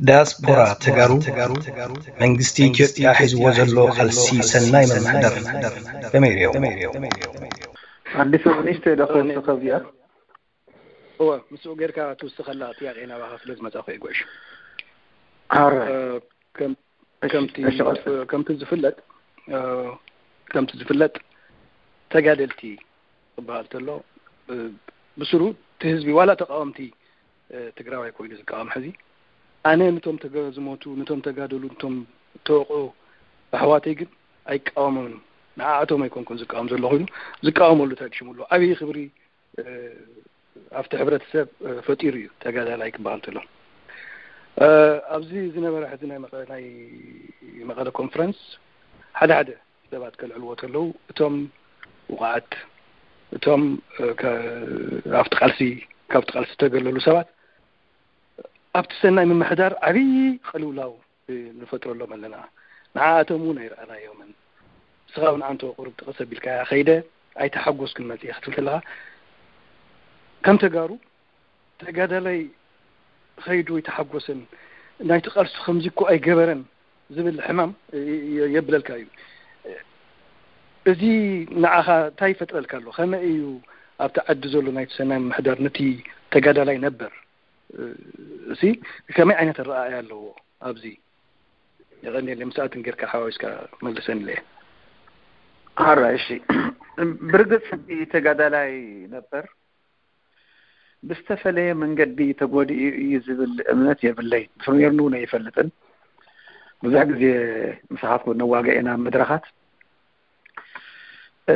ዳያስፖራ ተጋሩ መንግስቲ ኢትዮጵያ ሒዝዎ ዘሎ ቃልሲ ሰናይ ምምሕዳር ከመይ ሪኦ? ኣዲስ ኣበባ ንእሽተይ ዶ ክወስኸብ እያ? እወ፣ ምስኡ ጌርካ ትውስኸላ ጥያቄ ናባኻ ስለ ዝመጻኹ እየ ጉዕሽ። ኣረ እ፣ ከም- ከምቲ ከምቲ ዝፍለጥ እ፣ ከምቲ ዝፍለጥ ተጋደልቲ ክበሃል ተሎ እ፣ ብስሩ እቲ ህዝቢ ዋላ ተቃወምቲ እ፣ ትግራዋይ ኮይኑ ዝቃወም ሕዚ ኣነ ነቶም ተገ- ዝሞቱ ነቶም ተጋደሉ ነቶም ተወቅዑ ኣሕዋተይ ግን ኣይቃወሞምን። ንዓኣቶም ኣይኮንኩን ዝቃወም ዘሎ ኮይኑ ዝቃወመሉ እንታይ ሽሙ ኣሎ ዓብዪ ክብሪ እ፣ ኣብቲ ሕብረተሰብ እ፣ ፈጢሩ እዩ ተጋዳላይ ክበሃል ተሎ። እ፣ ኣብዚ ዝነበረ ሕዚ ናይ መቐ- ናይ መቐለ ኮንፈረንስ ሓደ ሓደ ሰባት ከልዕልዎ ተለዉ እቶም ውቃዓት እቶም እ፣ ከ- ኣብቲ ቃልሲ ካብቲ ቃልሲ ዝተገለሉ ሰባት ኣብቲ ሰናይ ምምሕዳር ዓብዪ ቅልውላው እ፣ ንፈጥረሎም ኣለና። ንዓኣቶም እውን ኣይረኣናዮምን። ንስኻ እውን ኣንተ ቁሩብ ጥቕስ ኣቢልካያ ከይደ ኣይተሓጎስኩን መፅየ ክትብል ከለኻ ከም ተጋሩ ተጋዳላይ ኸይዱ ኣይተሓጎሰን ናይቲ ቃልሱ ከምዚ እኮ ኣይገበረን ዝብል ሕማም የ- የብለልካ እዩ። እዚ ንዓኻ እንታይ ይፈጥረልካ ኣሎ? ከመይ እዩ ኣብቲ ዓዲ ዘሎ ናይቲ ሰናይ ምምሕዳር ነቲ ተጋዳላይ ነበር እሲ ከመይ ዓይነት ኣረኣእያ ኣለዎ ኣብዚ? የቐንየለይ ምስኣትን ጌርካ ሓዋዊስካ መልሰንለየ። ኣራ እሺ፣ ብርግፅ እቲ ተጋዳላይ ነበር ብዝተፈለየ መንገዲ ተጎዲኡ እዩ ዝብል እምነት የብለይ። ብፍርሜርኑ እውን ኣይፈልጥን። ብዙሕ ግዜ ምሳኻትኩም ነዋገ ኢና ኣብ መድረኻት እ፣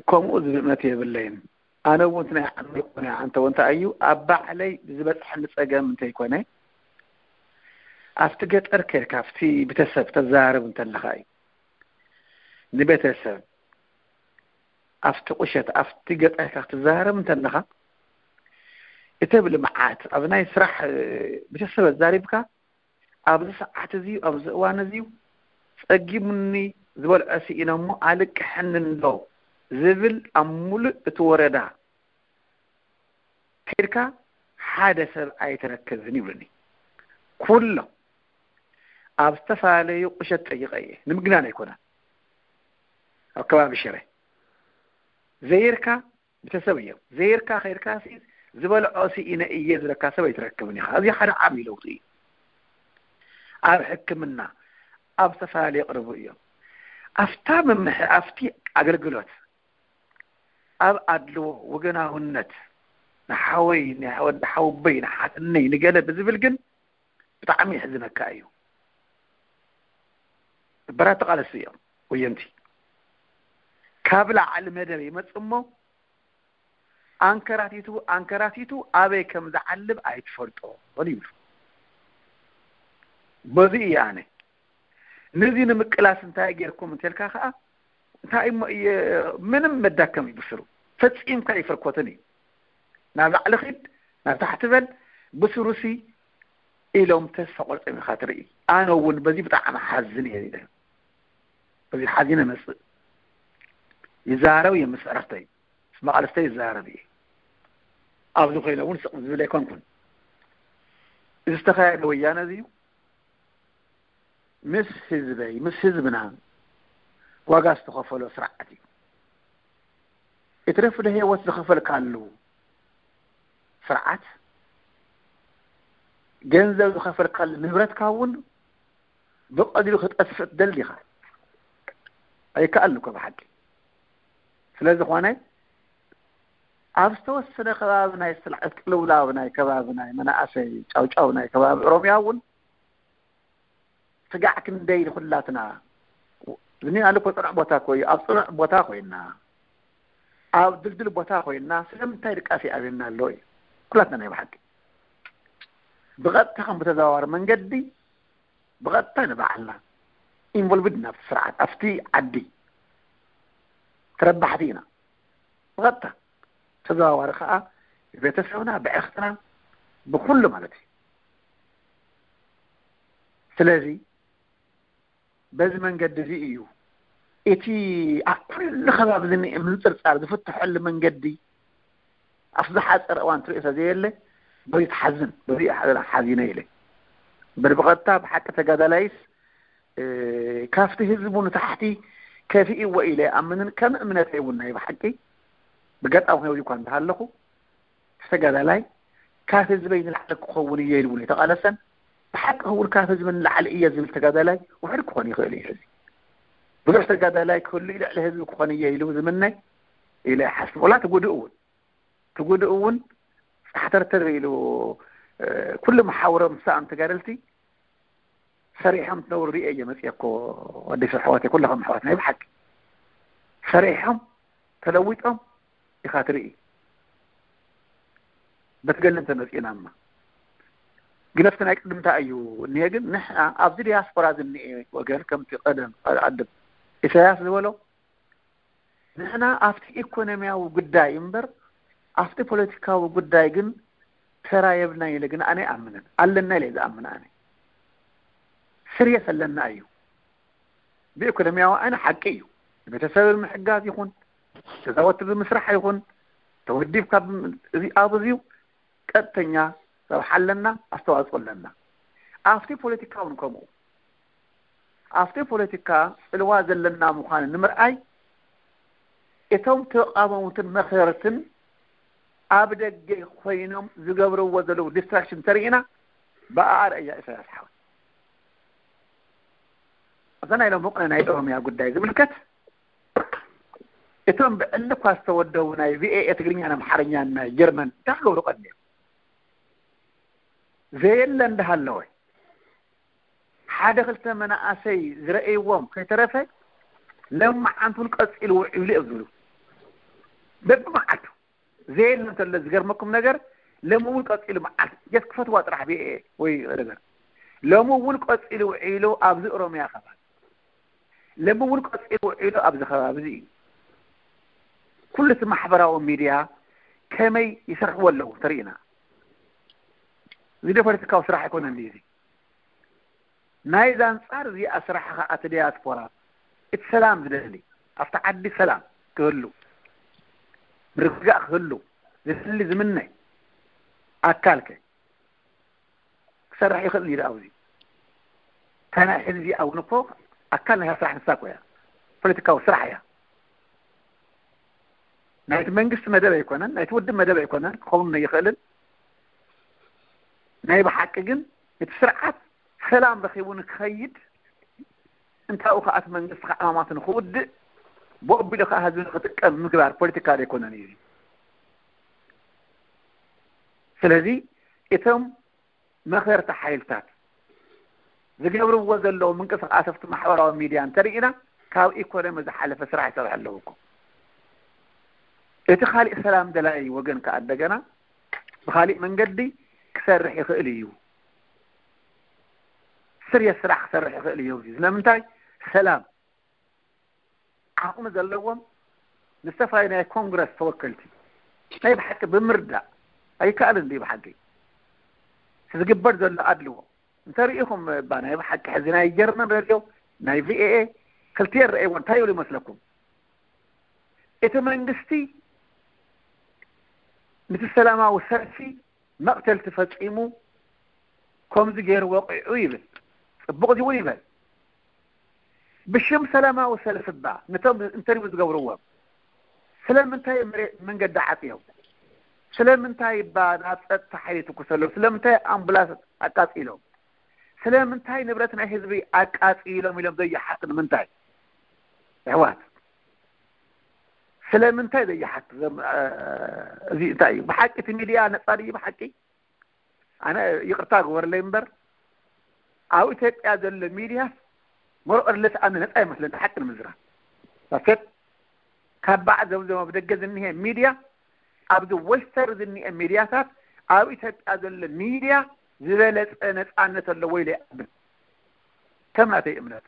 ከምኡ ዝብል እምነት የብለይን። ኣነ እውን ናይ ዓመይ ኮነ ኣንተ እውን እንታይ እዩ ኣብ ባዕለይ ዝበፅሐኒ ፀገም እንተይኮነ ኣብቲ ገጠር ከይድካ ኣብቲ ቤተሰብ ተዘራርብ እንተለካ እዩ ንቤተሰብ ኣብቲ ቁሸት ኣብቲ ገጠርካ ክትዘራረብ እንተለካ እቲ ብልምዓት ኣብ ናይ ስራሕ እ፣ ቤተሰብ ኣዛሪብካ ኣብዚ ሰዓት እዚ ኣብዚ እዋን እዚ ፀጊሙኒ ዝበልዖ ስኢነ እሞ ኣልቅሐኒ እንዶ ዝብል ኣብ ሙሉእ እቲ ወረዳ ከይድካ ሓደ ሰብ ኣይትረክብን ይብሉኒ። ኩሎም ኣብ ዝተፈላለዩ ቁሸት ጠይቀ እየ ንምግናን ኣይኮነን ኣብ ከባቢ ሽረ ዘይርካ ቤተሰብ እዮም ዘይርካ ከይድካ ሲ ዝበልዖ ስኢነ እየ ዝብለካ ሰብ ኣይትረክብን ኢኻ። እዚ ሓደ ዓብዪ ለውጢ እዩ። ኣብ ሕክምና ኣብ ዝተፈላለዩ ቅርቡ እዮም። ኣብታ ምምሕ ኣብቲ ኣገልግሎት ኣብ ኣድልዎ ወገናውነት ንሓወይ ንወዲ ሓውበይ ንሓትነይ ንገለ ብዝብል ግን ብጣዕሚ ይሕዝነካ እዩ። በራት ተቃለስቲ እዮም ወየንቲ ካብ ላዕሊ መደብ ይመጽእ እሞ ኣንከራቲቱ ኣንከራቲቱ ኣበይ ከም ዝዓልብ ኣይትፈልጦን ይብሉ። በዚ እየ ኣነ ነዚ ንምቅላስ እንታይ ጌርኩም እንተልካ ከዓ እንታይ እሞ እየ ምንም መዳከም እዩ ብስሩ ፈጺምካ ይፈርኮትን እዩ ናብ ላዕሊ ኺድ ናብ ታሕቲ በል ብስሩሲ ኢሎም ተስፋ ቆርጾም ኢኻ ትርኢ። ኣነ እውን በዚ ብጣዕሚ ሓዝን እየ ኢለ በዚ ሓዚነ መጽእ ይዛረብ እየ ምስ ዕረፍተይ ምስ መቓልስተይ ይዛረብ እየ። ኣብዚ ኮይነ እውን ስቕ ዝብል ኣይኮንኩን። እዚ ዝተኻየደ ወያነ እዚ እዩ ምስ ህዝበይ ምስ ህዝብና ዋጋ ዝተኸፈሎ ስርዓት እዩ። እትረፍ ዶ ህይወት ዝኸፈልካሉ ስርዓት ገንዘብ ዝኸፈልካሉ ንብረትካ እውን ብቐሊሉ ክጠፍእ ትደሊ ኢኻ። ኣይከኣልን እኮ ብሓቂ። ስለ ዝኾነ ኣብ ዝተወሰነ ከባቢ ናይ ስልዓት ቅልውላው ናይ ከባቢ ናይ መናእሰይ ጫውጫው ናይ ከባቢ ኦሮሚያ እውን ስጋዕ ክንደይ ንኹላትና ዝኒኣሉ እኮ ፅኑዕ ቦታ እኮ እዩ። ኣብ ፅኑዕ ቦታ ኮይና ኣብ ድልድል ቦታ ኮይና ስለምንታይ ድቃስ ይኣብየና ኣሎ እዩ። ኩላትና ናይ ብሓቂ ብቐጥታ ከም ብተዘዋዋሪ መንገዲ ብቐጥታ ንባዕልና ኢንቮልቭድ ኢና ኣብቲ ስርዓት ኣብቲ ዓዲ ተረባሕቲ ኢና። ብቐጥታ ተዘዋዋሪ ከዓ ብቤተሰብና ብዕርክትና ብኩሉ ማለት እዩ። ስለዚ በዚ መንገዲ እዚ እዩ እቲ ኣብ ኩሉ ከባቢ ዝኒአ ምንፅርፃር ዝፍትሐሉ መንገዲ ኣብ ዝሓፀረ እዋን ትሪኦ ስለዘየለ በዚ ትሓዝን በዚ ሓዚነ ኢለ በል ብቐጥታ ብሓቂ ተጋዳላይስ ካብቲ ህዝቡ ንታሕቲ ከፊእዎ ኢለ ኣምንን ከም እምነተይ እውን ናይ ብሓቂ ብገጣዊ ህይወት እኳ እንተሃለኹ ተጋዳላይ ካብ ህዝበይ ንላዕሊ ክኸውን እየ ኢሉ እውን የተቓለሰን ብሓቂ እውን ካብ ህዝቢ ንላዕሊ እየ ዝብል ተጋዳላይ ውሕድ ክኾን ይኽእል እዩ። ሕዚ ብዙሕ ተጋዳላይ ክህሉ ልዕሊ ህዝቢ ክኾን እየ ኢሉ ዝምነ ኢለ ይሓስብ። ወላ ትጉድእ እውን ትጉድእ እውን ፃሕተርተር ኢሉ ኩሉ መሓውሮም ሰኣን ተጋደልቲ ሰሪሖም ትነብሩ ርእየ እየ መፅየ እኮ። ኣዲስ ኣሕዋት ኩለኹም ኣሕዋት ናይ ብሓቂ ሰሪሖም ተለዊጦም ኢኻ ትርኢ። በቲ ገለ እንተመፂእናማ ግን ኣብቲ ናይ ቅድምታ እዩ እኒሀ። ግን ንሕና ኣብዚ ዲያስፖራ ዝኒኤ ወገን ከምቲ ቀደም ኣድም ኢሳያስ ዝበሎ ንሕና ኣብቲ ኢኮኖሚያዊ ጉዳይ እምበር ኣብቲ ፖለቲካዊ ጉዳይ ግን ተራ የብልና ኢለ ግን ኣነ ኣምንን ኣለና ኢለ ዝኣምን ኣነ ስርየስ ኣለና እዩ። ብኢኮኖሚያዊ ኣነ ሓቂ እዩ። ቤተሰብ ምሕጋዝ ይኹን ገዛወቲ ብምስራሕ ይኹን ተወዲብካ እዚ ኣብ እዚዩ ቀጥተኛ ረብሓ ኣለና፣ ኣስተዋፅኦ ኣለና። ኣብቲ ፖለቲካ እውን ከምኡ ኣብቲ ፖለቲካ ፅልዋ ዘለና ምዃኑ ንምርኣይ እቶም ተቃወምትን መኸርትን ኣብ ደገ ኮይኖም ዝገብርዎ ዘለዉ ዲስትራክሽን ተርእና ብኣኣ ረእያ ኢሳያስ ሓወይ። ኣብዛ ናይ ሎሚ ናይ ኦሮሚያ ጉዳይ ዝምልከት እቶም ብዕሊ እኳ ዝተወደቡ ናይ ቪኤኤ ትግርኛን ኣምሓርኛን ናይ ጀርመን እንታይ ክገብሩ ቀድሚኦም ዘየለ እንዳሃለወ ሓደ ክልተ መናእሰይ ዝረእይዎም ከይተረፈ ለማዓንቱን ቀፂሉ ውዒሉ እዮም ዝብሉ በብመዓልቱ ዘየለ እንተሎ ዝገርመኩም ነገር ለሚ እውን ቀፂሉ መዓልቲ ጀት ክፈትዋ ጥራሕ ብኤ ወይ ነገር ለሚ እውን ቀፂሉ ውዒሉ ኣብዚ ኦሮሚያ ከባቢ ለሚ እውን ቀፂሉ ውዒሉ ኣብዚ ከባቢ እዚ እዩ። ኩሉ እቲ ማሕበራዊ ሚድያ ከመይ ይሰርሕዎ ኣለዉ ተርእና። እዚ ዶ ፖለቲካዊ ስራሕ ኣይኮነን ድዩ እዚ? ናይዚ ኣንፃር እዚኣ ስራሕ ከዓ እቲ ዲያስፖራ እቲ ሰላም ዝደሊ ኣብቲ ዓዲ ሰላም ክህሉ ምርግጋእ ክህሉ ዝደሊ ዝምነ ኣካልከ ክሰርሕ ይኽእል እዩ ኣብዚ ከናይ ሕዝቢ እውን እኮ ኣካል ናይ ስራሕ ንሳ እኮ እያ ፖለቲካዊ ስራሕ እያ ናይቲ መንግስቲ መደብ ኣይኮነን ናይቲ ውድብ መደብ ኣይኮነን ክኸውን ይኽእልን ናይ ብሓቂ ግን እቲ ስርዓት ሰላም ረኺቡ ንክኸይድ እንታኡ ከኣት መንግስቲ ከዓማማት ንክውድእ ብኦቢሉ ከዓ ህዝቢ ንክጥቀም ምግባር ፖለቲካ ዘይኮነን እዩ ስለዚ እቶም መኸርቲ ሓይልታት ዝገብርዎ ዘለዉ ምንቅስቃሰፍቲ ማሕበራዊ ሚድያ እንተርኢና ካብ ኢኮኖሚ ዝሓለፈ ስራሕ ይሰርሑ ኣለዉ እኮ እቲ ካሊእ ሰላም ደላይ ወገን ከዓ እንደገና ብካሊእ መንገዲ ክሰርሕ ይኽእል እዩ ስርየት ስራሕ ክሰርሕ ይኽእል እዩ ስለምንታይ ሰላም ዓቕሚ ዘለዎም ንዝተፈላለዩ ናይ ኮንግረስ ተወከልቲ ናይ ብሓቂ ብምርዳእ ኣይከኣልን ድዩ ብሓቂ ዝግበር ዘሎ ኣድልዎ እንተሪኢኹም ባ ናይ ብሓቂ ሕዚ ናይ ጀርመን ረድዮ ናይ ቪኤኤ ክልቲኤን ረእይዎ እንታይ ይብሉ ይመስለኩም እቲ መንግስቲ ንቲ ሰላማዊ ሰልፊ መቕተልቲ ፈፂሙ ከምዚ ገይሩ ወቂዑ ይብል ፅቡቕ እዚ እውን ይበል ብሽም ሰላማዊ ሰልፊ ባ ነቶም ኢንተርቪው ዝገብርዎም ስለምንታይ መሬት መንገዲ ዓፅዮም ስለምንታይ ባ ናብ ፀጥታ ሓይሊ ትኩሰሎም ስለምንታይ ኣምቡላንስ ኣቃፂሎም ስለምንታይ ንብረት ናይ ህዝቢ ኣቃፂሎም ኢሎም ዘይሓቱ ንምንታይ ኣሕዋት ስለምንታይ ዘይሓቱ እዞም እዚ እንታይ እዩ ብሓቂ እቲ ሚድያ ነፃ ድዩ ብሓቂ ኣነ ይቕርታ ግበርለይ እምበር ኣብ ኢትዮጵያ ዘሎ ሚድያ ሞርኦርለስ ኣነ ነፃ ይመስለኒ ሓቂ ንምዝራብ ባከት ካብ ባዕ ዘምዘም ኣብ ደገ ዝኒሀ ሚድያ ኣብዚ ዌስተር ዝኒሀ ሚድያታት ኣብ ኢትዮጵያ ዘሎ ሚድያ ዝበለፀ ነፃነት ኣለዎ ኢለ ይኣምን ከም ናተይ እምነት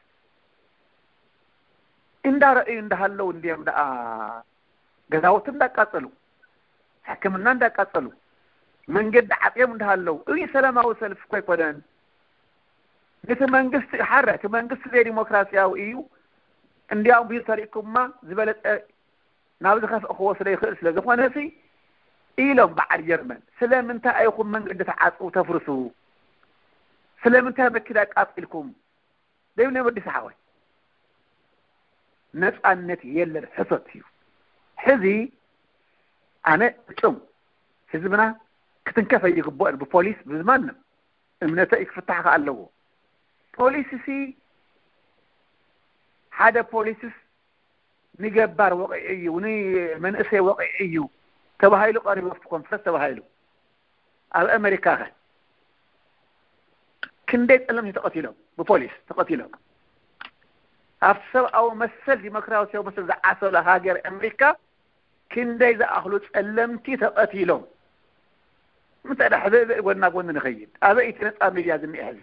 እንዳረእዩ እንዳሃለው እንዲዮም ደኣ ገዛውቲ እንዳቃፀሉ ሕክምና እንዳቃፀሉ መንገዲ ዓፅዮም እንዳሃለው እዚ ሰላማዊ ሰልፊ እኮ ኣይኮነን ነቲ መንግስቲ ሓረ እቲ መንግስቲ ዘይዲሞክራሲያዊ እዩ እንዲያውም ቢል ተሪእኩማ ዝበለፀ ናብ ዝኸፍእ ክወስዶ ይኽእል ስለ ዝኾነ ሲ ኢሎም በዓል ጀርመን ስለምንታይ ኣይኹም መንገዲ ተዓፅው ተፍርሱ ስለምንታይ መኪና ኣቃጺልኩም? ደይብለ ወዲ ሰሓወይ፣ ነጻነት የለን፣ ሕሶት እዩ። ሕዚ ኣነ እጹም ህዝብና ክትንከፍ ኣይግባእን ብፖሊስ ብዝማንም እምነተ እዩ ክፍታሕ ከኣ ኣለዎ። ፖሊስሲ ሓደ ፖሊስስ ንገባር ወቒዒ እዩ፣ ንመንእሰይ ወቒዒ እዩ ተባሂሉ ቀሪቡ ኣብቲ ኮንፈረንስ ተባሂሉ። ኣብ ኣሜሪካ ከ ክንደይ ጸለምቲ ተቐቲሎም ብፖሊስ ተቐቲሎም? ኣብቲ ሰብኣዊ መሰል ዲሞክራሲያዊ መሰል ዝዓሰሎ ሃገር ኣሜሪካ ክንደይ ዝኣኽሉ ጸለምቲ ተቐቲሎም? ምንታይ ደኣ ሕበ ጎና ጎኒ ንኸይድ ኣበይ እቲ ነጻ ሚድያ ዝኒኤ ሕዚ?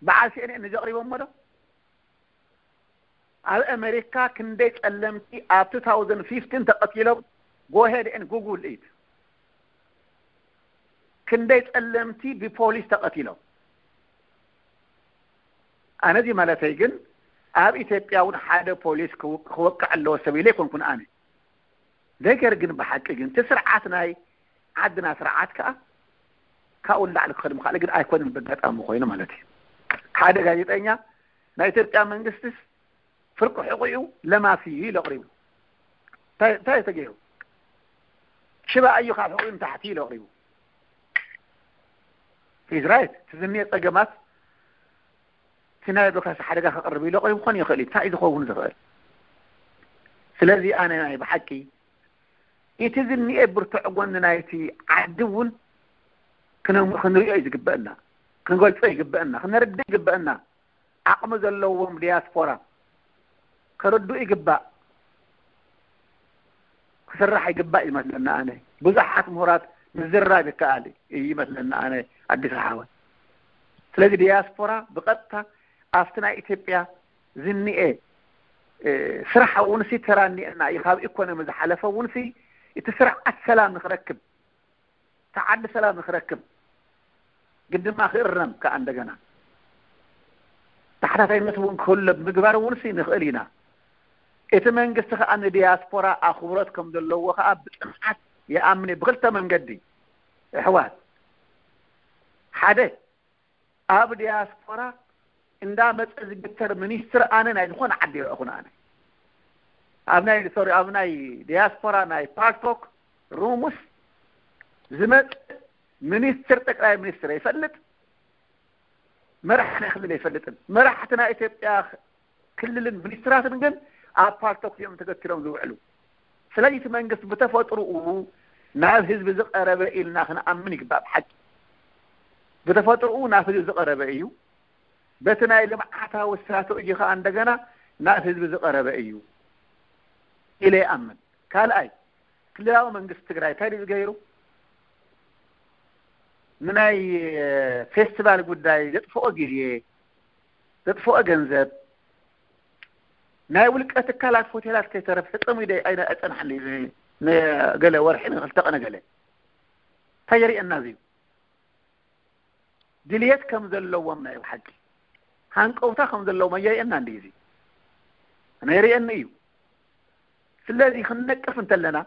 በዓል ሲኤንኤን እዚ ኣቕሪቦሞ ዶ? ኣብ ኣሜሪካ ክንደይ ጸለምቲ ኣብ two thousand fifteen ተቐቲሎም? Go ahead and Google it። ክንደይ ጸለምቲ ብፖሊስ ተቐቲሎም? ኣነ እዚ ማለተይ ግን ኣብ ኢትዮጵያ እውን ሓደ ፖሊስ ክው- ክወቅዕ ኣለዎ ሰብ ኢለ ኣይኮንኩን ኣነ። ነገር ግን ብሓቂ ግን እቲ ስርዓት ናይ ዓድና ስርዓት ከዓ ካብኡ ንላዕሊ ክኸድ ምኽኣለ ግን ኣይኮነን በጋጣሚ ኮይኑ ማለት እዩ። ሓደ ጋዜጠኛ ናይ ኢትዮጵያ መንግስትስ ፍርቂ ሕቑኡ ለማሲ እዩ ኢሉ ኣቕሪቡ። እንታይ እንታይ ተገይሩ? ሽባ እዩ ካብ ሕቑኡ ንታሕቲ ኢሉ ኣቕሪቡ። He's right። እቲ ዝኒኦ ጸገማት እቲ ናይ ዲሞክራሲ ሓደጋ ከቕርብ ኢሉ ኣቕሪቡ ክኾን ይኽእል እዩ። እንታይ እዩ ዝኸውን ዝኽእል? ስለዚ ኣነ ናይ ብሓቂ እቲ ዝኒኤ ብርቱዕ ጎኒ ናይቲ ዓዲ እውን ክነ- ክንሪኦ እዩ ዝግበአና፣ ክንገልጾ ይግበአና፣ ክነርድእ ይግበአና። ዓቕሚ ዘለዎም ዲያስፖራ ክርድኡ ይግባእ፣ ክስራሕ ይግባእ ይመስለና። ኣነ ብዙሓት ምሁራት ምዝራብ ይከኣል እዩ ይመስለና። ኣነ ኣዲስ ሓወ ስለዚ ዲያስፖራ ብቐጥታ ኣብቲ ናይ ኢትዮጵያ ዝኒኤ ስራሕ እውን ሲ ተራ እኒኤና እዩ። ካብ ኢኮኖሚ ዝሓለፈ እውን ሲ እቲ ስርዓት ሰላም ንክረክብ፣ እቲ ዓዲ ሰላም ንክረክብ ግን ድማ ክእረም ከዓ እንደገና ተሓታታይነት እውን ክህሉ ምግባር እውን ሲ ንኽእል ኢና። እቲ መንግስቲ ከዓ ንዲያስፖራ ኣኽብሮት ከም ዘለዎ ከዓ ብፅንዓት ይኣምን እዩ። ብክልተ መንገዲ ኣሕዋት፣ ሓደ ኣብ ዲያስፖራ እንዳመፀ ዝግተር ሚኒስትር ኣነ ናይ ዝኾነ ዓዲ ይረእኹን። ኣነ ኣብ ናይ ሶሪ ኣብ ናይ ዲያስፖራ ናይ ፓልቶክ ሩሙስ ዝመፅ ሚኒስትር ጠቅላይ ሚኒስትር ይፈልጥ፣ መራሒ ናይ ክልል ኣይፈልጥን። መራሕቲ ናይ ኢትዮጵያ ክልልን ሚኒስትራትን ግን ኣብ ፓልቶክ እዮም ተገትሮም ዝውዕሉ። ስለዚ እቲ መንግስቲ ብተፈጥሮኡ ናብ ህዝቢ ዝቐረበ ኢልና ክንኣምን ይግባእ። ብሓቂ ብተፈጥሮኡ ናብ ህዝቢ ዝቐረበ እዩ። በቲ ናይ ልምዓታዊ ስትራተጂ ከዓ እንደገና ናብ ህዝቢ ዝቐረበ እዩ ኢለ ይኣምን። ካልኣይ ክልላዊ መንግስቲ ትግራይ እንታይ ድዩ ዝገይሩ? ንናይ ፌስቲቫል ጉዳይ ዘጥፍኦ ግዜ፣ ዘጥፍኦ ገንዘብ፣ ናይ ውልቀ ትካላት ሆቴላት ከይተረፍ ሕፀሙ ኣይፀናሕን። ንገለ ወርሒ ንክልተ ቀነ ገለ እንታይ የርእየና እዚዩ? ድልየት ከም ዘለዎም ናይ ብሓቂ ሃንቀውታ ከም ዘለዎም ኣየርእየና እንዲ እዚ ነይርእየኒ እዩ። ስለዚ ክንነቅፍ እንተለና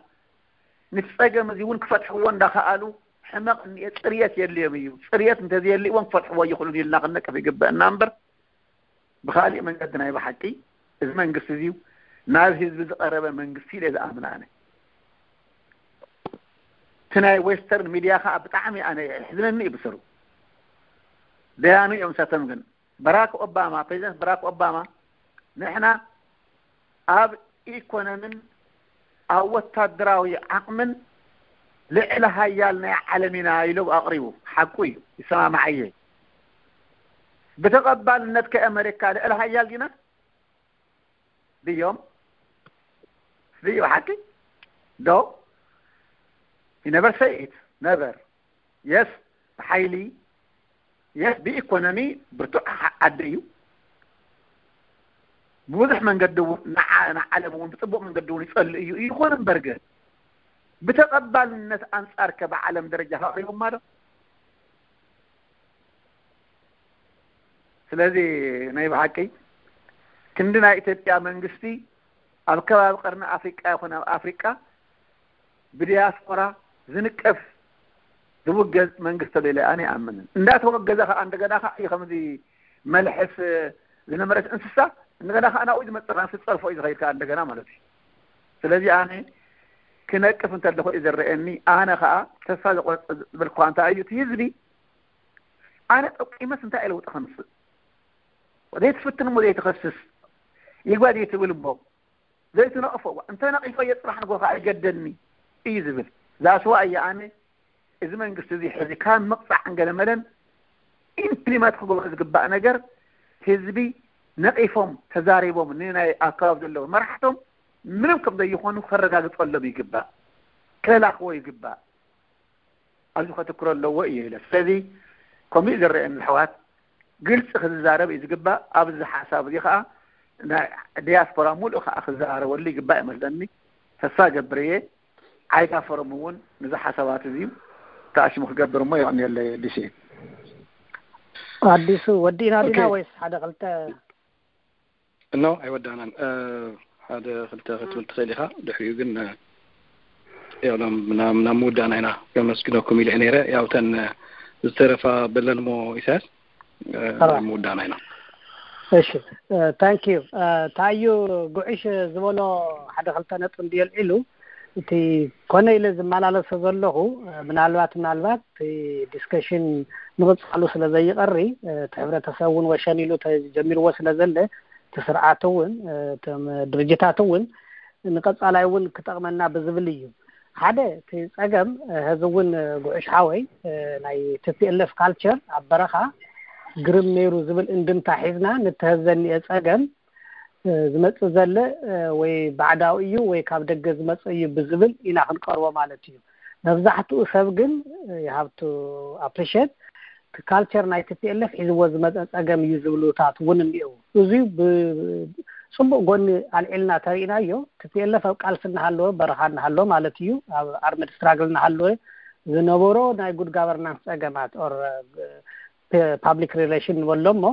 ንፀገም እዚ እውን ክፈትሕዎ እንዳኸኣሉ ሕመቕ እኒኤ ፅርየት የድልዮም እዩ። ፅርየት እንተዘየልእዎም ክፈትሕዎ ይኽእሉን ኢልና ክንነቅፍ ይግበአና እምበር ብኻሊእ መንገዲ ናይ ብሓቂ እዚ መንግስቲ እዚዩ ናብ ህዝቢ ዝቐረበ መንግስቲ ኢለ ዝኣምን ኣነ። እቲ ናይ ዌስተርን ሚድያ ከዓ ብጣዕሚ ኣነ የሕዝነኒ እዩ ብስሩ። ደያኑ እዮም ሰተም ግን በራክ ኦባማ ፕሬዚደንት በራክ ኦባማ ንሕና ኣብ ኢኮኖሚን ኣብ ወታደራዊ ዓቕምን ልዕሊ ሃያል ናይ ዓለም ኢና ኢሉ ኣቕሪቡ። ሓቁ እዩ፣ ይሰማማዓየ። ብተቐባልነት ከኣመሪካ ልዕሊ ሃያል ዲና ድዮም? ድዩ ሓቂ ዶ? Never say it never። የስ ብሓይሊ የስ ብኢኮኖሚ ብርቱዕ ዓዲ እዩ። ብብዙሕ መንገዲ እውን ንዓለም እውን ብፅቡቅ መንገዲ እውን ይፀልእ እዩ። ይኹን እምበር ግን ብተቐባልነት ኣንፃር ከ ብዓለም ደረጃ ከቕሪቦማ ዶ? ስለዚ ናይ ብሓቂ ክንዲ ናይ ኢትዮጵያ መንግስቲ ኣብ ከባቢ ቀርኒ ኣፍሪቃ ይኹን ኣብ ኣፍሪቃ ብዲያስፖራ ዝንቀፍ ዝውገዝ መንግስቲ ኣሎ ኢለ ኣነ ይኣምንን። እንዳተወገዘ ከዓ እንደገና ከዓ እዩ ከምዚ መልሕስ ዝነመረት እንስሳ እንደገና ከዓ ናብኡ ዝመፅእ ከዓ ዝፀርፎ እዩ ዝኸይድ ከዓ እንደገና ማለት እዩ። ስለዚ ኣነ ክነቅፍ እንተለኹ እዩ ዝረአየኒ። ኣነ ከዓ ተስፋ ዘቆርፅ ዝብል እኳ እንታይ እዩ እቲ ህዝቢ ኣነ ጠቂመስ እንታይ ለውጢ ከምፅእ ዘይትፍትን እሞ ዘይትኸስስ ይግባ ዘይትብል እሞ ዘይትነቕፎ እዋ እንተ ነቒፎ እየ ፅባሕ ንጎ ከዓ ይገደኒ እዩ ዝብል። ዛስዋ እየ ኣነ እዚ መንግስቲ እዚ ሕዚ ካብ ምቕፃዕ እንገለመለን ኢምፕሊመንት ክገብሮ ዝግባእ ነገር ህዝቢ ነቒፎም ተዛሪቦም ንናይ ኣካባቢ ዘለዉ መራሕቶም ምንም ከም ዘይኾኑ ከረጋግፀሎም ይግባእ፣ ከላኽዎ ይግባእ። ኣብዚ ከተክሮ ኣለዎ እዩ ኢለ። ስለዚ ከምኡ ዝረአየኒ ኣሕዋት ግልፂ ክዝዛረብ እዩ ዝግባእ። ኣብዚ ሓሳብ እዚ ከዓ ናይ ዲያስፖራ ሙሉእ ከዓ ክዘራረበሉ ይግባእ ይመስለኒ። ተስፋ ገብር እየ። ዓይጋ ፎረም እውን ነዚ ሓሳባት እዚ ተኣሽሙ ክገብር እሞ የቐንየለይ ኣዲስ። ኣዲሱ ወዲእና ዲና ኦኬ። ወይስ ሓደ ክልተ? ኖ ኣይወዳእናን። ሓደ ክልተ ክትብል ትኽእል ኢኻ። ድሕሪኡ ግን ያው ናብ ናብ ናብ ምውዳእና ኢና። ከመስግነኩም ኢለ ነይረ። ያው ተን ዝተረፋ በለን እሞ ኢሳያስ ናብ ምውዳእና ኢና። እሺ፣ ታንክ ዩ። ታዩ ጉዕሽ ዝበሎ ሓደ ክልተ ነጥቢ እንዲ የልዒሉ እቲ ኮነ ኢለ ዝመላለሶ ዘለኹ ምናልባት ምናልባት እቲ ዲስከሽን ምቕፃሉ ስለ ዘይቐሪ እቲ ሕብረተሰብ እውን ወሸን ኢሉ ተጀሚርዎ ስለ ዘለ እቲ ስርዓት እውን እቶም ድርጅታት እውን ንቀፃላይ እውን ክጠቕመና ብዝብል እዩ። ሓደ እቲ ፀገም ሕዚ እውን ጉዕሽ ሓወይ ናይ ቲፒኤልኤፍ ካልቸር ኣብ በረኻ ግርም ነይሩ ዝብል እንድምታ ሒዝና ንተህዘኒኤ ፀገም ዝመፅእ ዘለ ወይ ባዕዳዊ እዩ ወይ ካብ ደገ ዝመፅእ እዩ ብዝብል ኢና ክንቀርቦ ማለት እዩ። መብዛሕትኡ ሰብ ግን you have to appreciate ካልቸር ናይ ቲፒኤልኤፍ ሒዝዎ ዝመፀ ፀገም እዩ ዝብሉታት እውን እኒአው። እዚ ብፅቡቅ ጎኒ ኣልዒልና ተሪኢናዮ። ቲፒኤልኤፍ ኣብ ቃልሲ እናሃለወ በረኻ እናሃለወ ማለት እዩ ኣብ ኣርምድ ስትራግል እናሃለወ ዝነበሮ ናይ ጉድ ጋቨርናንስ ፀገማት ኦር ፓብሊክ ሪሌሽን ንበሎ እሞ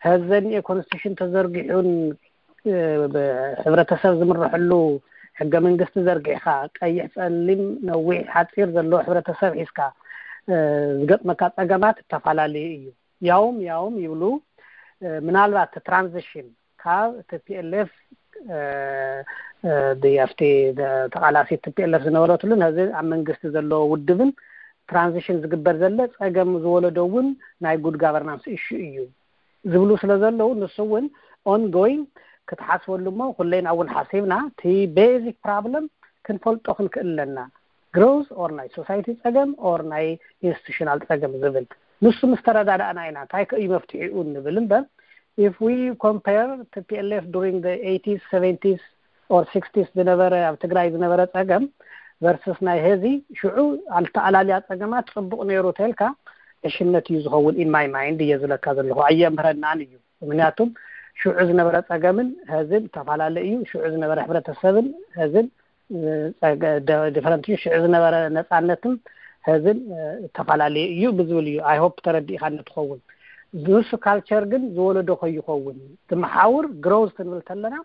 ሕዚ ዘኒኤ ኮንስቲቱሽን ተዘርጊሑን ሕብረተሰብ ዝምርሐሉ ሕገ መንግስቲ ዘርጊሕካ ቀይሕ ፀሊም ነዊሕ ሓፂር ዘለዎ ሕብረተሰብ ሒዝካ ዝገጥመካ ፀገማት እተፈላለዩ እዩ። ያውም ያውም ይብሉ ምናልባት ትራንዚሽን ካብ ቲፒኤልኤፍ ኣብቲ ተቃላሲ ቲፒኤልኤፍ ዝነበረትሉን ሕዚ ኣብ መንግስቲ ዘለዎ ውድብን ትራንዚሽን ዝግበር ዘለ ፀገም ዝወለዶ እውን ናይ ጉድ ጋቨርናንስ ኢሹ እዩ ዝብሉ ስለ ዘለዉ ንሱ እውን ኦንጎይንግ ክትሓስበሉ እሞ ኩለይና እውን ሓሲብና እቲ ቤዚክ ፕራብለም ክንፈልጦ ክንክእል ኣለና። ግሮዝ ኦር ናይ ሶሳይቲ ፀገም ኦር ናይ ኢንስቲቱሽናል ፀገም ዝብል ንሱ ምስ ተረዳዳእና ኢና እንታይ ከእዩ መፍትሒኡ ንብል እምበር if we compare ቲፒኤልኤፍ during the eighties seventies or sixties ዝነበረ ኣብ ትግራይ ዝነበረ ፀገም ቨርስስ ናይ ሄዚ ሽዑ ኣልተኣላልያ ፀገማት ፅቡቅ ነይሩ ተልካ ዕሽነት እዩ ዝኸውን in my mind እየ ዝለካ ዘለኹ ኣየምህረናን እዩ። ምክንያቱም ሽዑ ዝነበረ ፀገምን ሄዝን ተፈላለ እዩ። ሽዑ ዝነበረ ሕብረተሰብን ሄዝን ዲፈረንት እዩ። ሽዑ ዝነበረ ነፃነትን ሄዝን ተፈላለየ እዩ ብዝብል እዩ። I hope ተረዲእካ ንትኸውን ንሱ ካልቸር ግን ዝወለዶ ከይኸውን ትመሓውር ግሮዝ ክንብል ተለና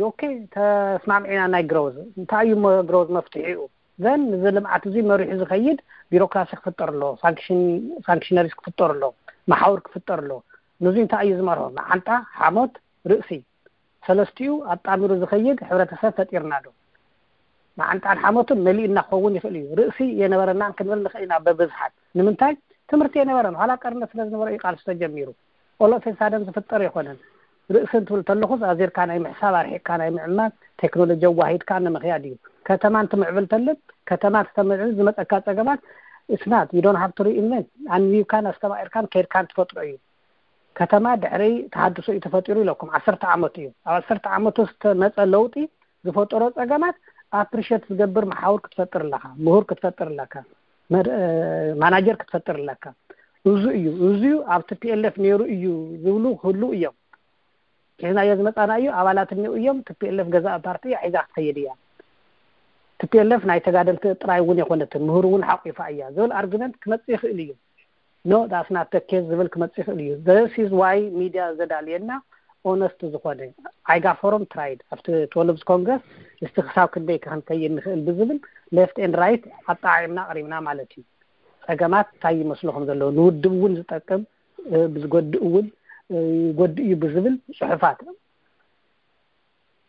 ኦኬ ተስማምዒና ናይ ግሮዝ እንታይ እዩ ግሮዝ መፍትሒኡ ዘን ንዚ ልምዓት እዚ መሪሑ ዝኸይድ ቢሮክራሲ ክፍጠር ኣሎ። ፋንክሽነሪስ ክፍጠር ኣሎ። መሓውር ክፍጠር ኣሎ። ንዚ እንታይ እዩ ዝመርሆ መዓንጣ ሓሞት ርእሲ ሰለስቲኡ ኣጣሚሩ ዝኸይድ ሕብረተሰብ ፈጢርና ዶ? መዓንጣን ሓሞትን መሊእና ክኸውን ይኽእል እዩ። ርእሲ የነበረናን ክንብል ንኽእል ኢና በብዝሓት ንምንታይ ትምህርቲ የነበረን ኋላ ቀርነት ስለ ዝነበረ እዩ ቃልሲ ተጀሚሩ። ኦሎፌሳደን ዝፍጠር ኣይኮነን። ርእሲ እንትብል ተለኹስ ኣዚርካ ናይ ምሕሳብ ኣርሒቅካ ናይ ምዕማት ቴክኖሎጂ ኣዋሂድካ ንምኽያድ እዩ። ከተማ እንትምዕብል ተለን ከተማ ተተምዕብል ዝመፀካ ፀገማት it's not you don't have to reinvent ኣንቢብካን ኣስተማቂርካን ከይድካን ትፈጥሮ እዩ። ከተማ ድሕሪ ተሃድሶ እዩ ተፈጢሩ ኢለኩም ዓሰርተ ዓመት እዩ። ኣብ ዓሰርተ ዓመት ውስጥ መፀ ለውጢ ዝፈጠሮ ፀገማት ኣፕሪሸት ዝገብር መሓውር ክትፈጥር ኣለካ፣ ምሁር ክትፈጥር ኣለካ፣ ማናጀር ክትፈጥር ኣለካ። እዚ እዩ እዚ ኣብ ቲፒኤልኤፍ ነይሩ እዩ ዝብሉ ክህሉ እዮም። ሒዝናዮ ዝመፃና እዩ ኣባላት እኒኡ እዮም። ቲፒኤልኤፍ ገዛእ ፓርቲ እያ ሒዛ ክትኸይድ እያ። ቲፒኤልኤፍ ናይ ተጋደልቲ ጥራይ እውን የኮነትን ምህር እውን ሓቂፋ እያ ዝብል ኣርጊመንት ክመፅእ ይኽእል እዩ። No that's not the case ዝብል ክመፅእ ይኽእል እዩ። This is why ሚድያ ዘዳልየና ኦነስት ዝኾነ ኣይጋ ፎረም ትራይድ ኣብቲ ትወልብዝ ኮንግረስ እስቲ ክሳብ ክንደይ ከ ክንከይድ ንኽእል ብዝብል ሌፍት ኤንድ ራይት ኣጠዓዒምና ኣቕሪብና ማለት እዩ። ጸገማት እንታይ ይመስሉ ከም ዘለዉ፣ ንውድብ እውን ዝጠቅም፣ እ፣ ብዝጎድእ እውን፣ እ፣ ይጎድእ እዩ ብዝብል ጽሑፋት።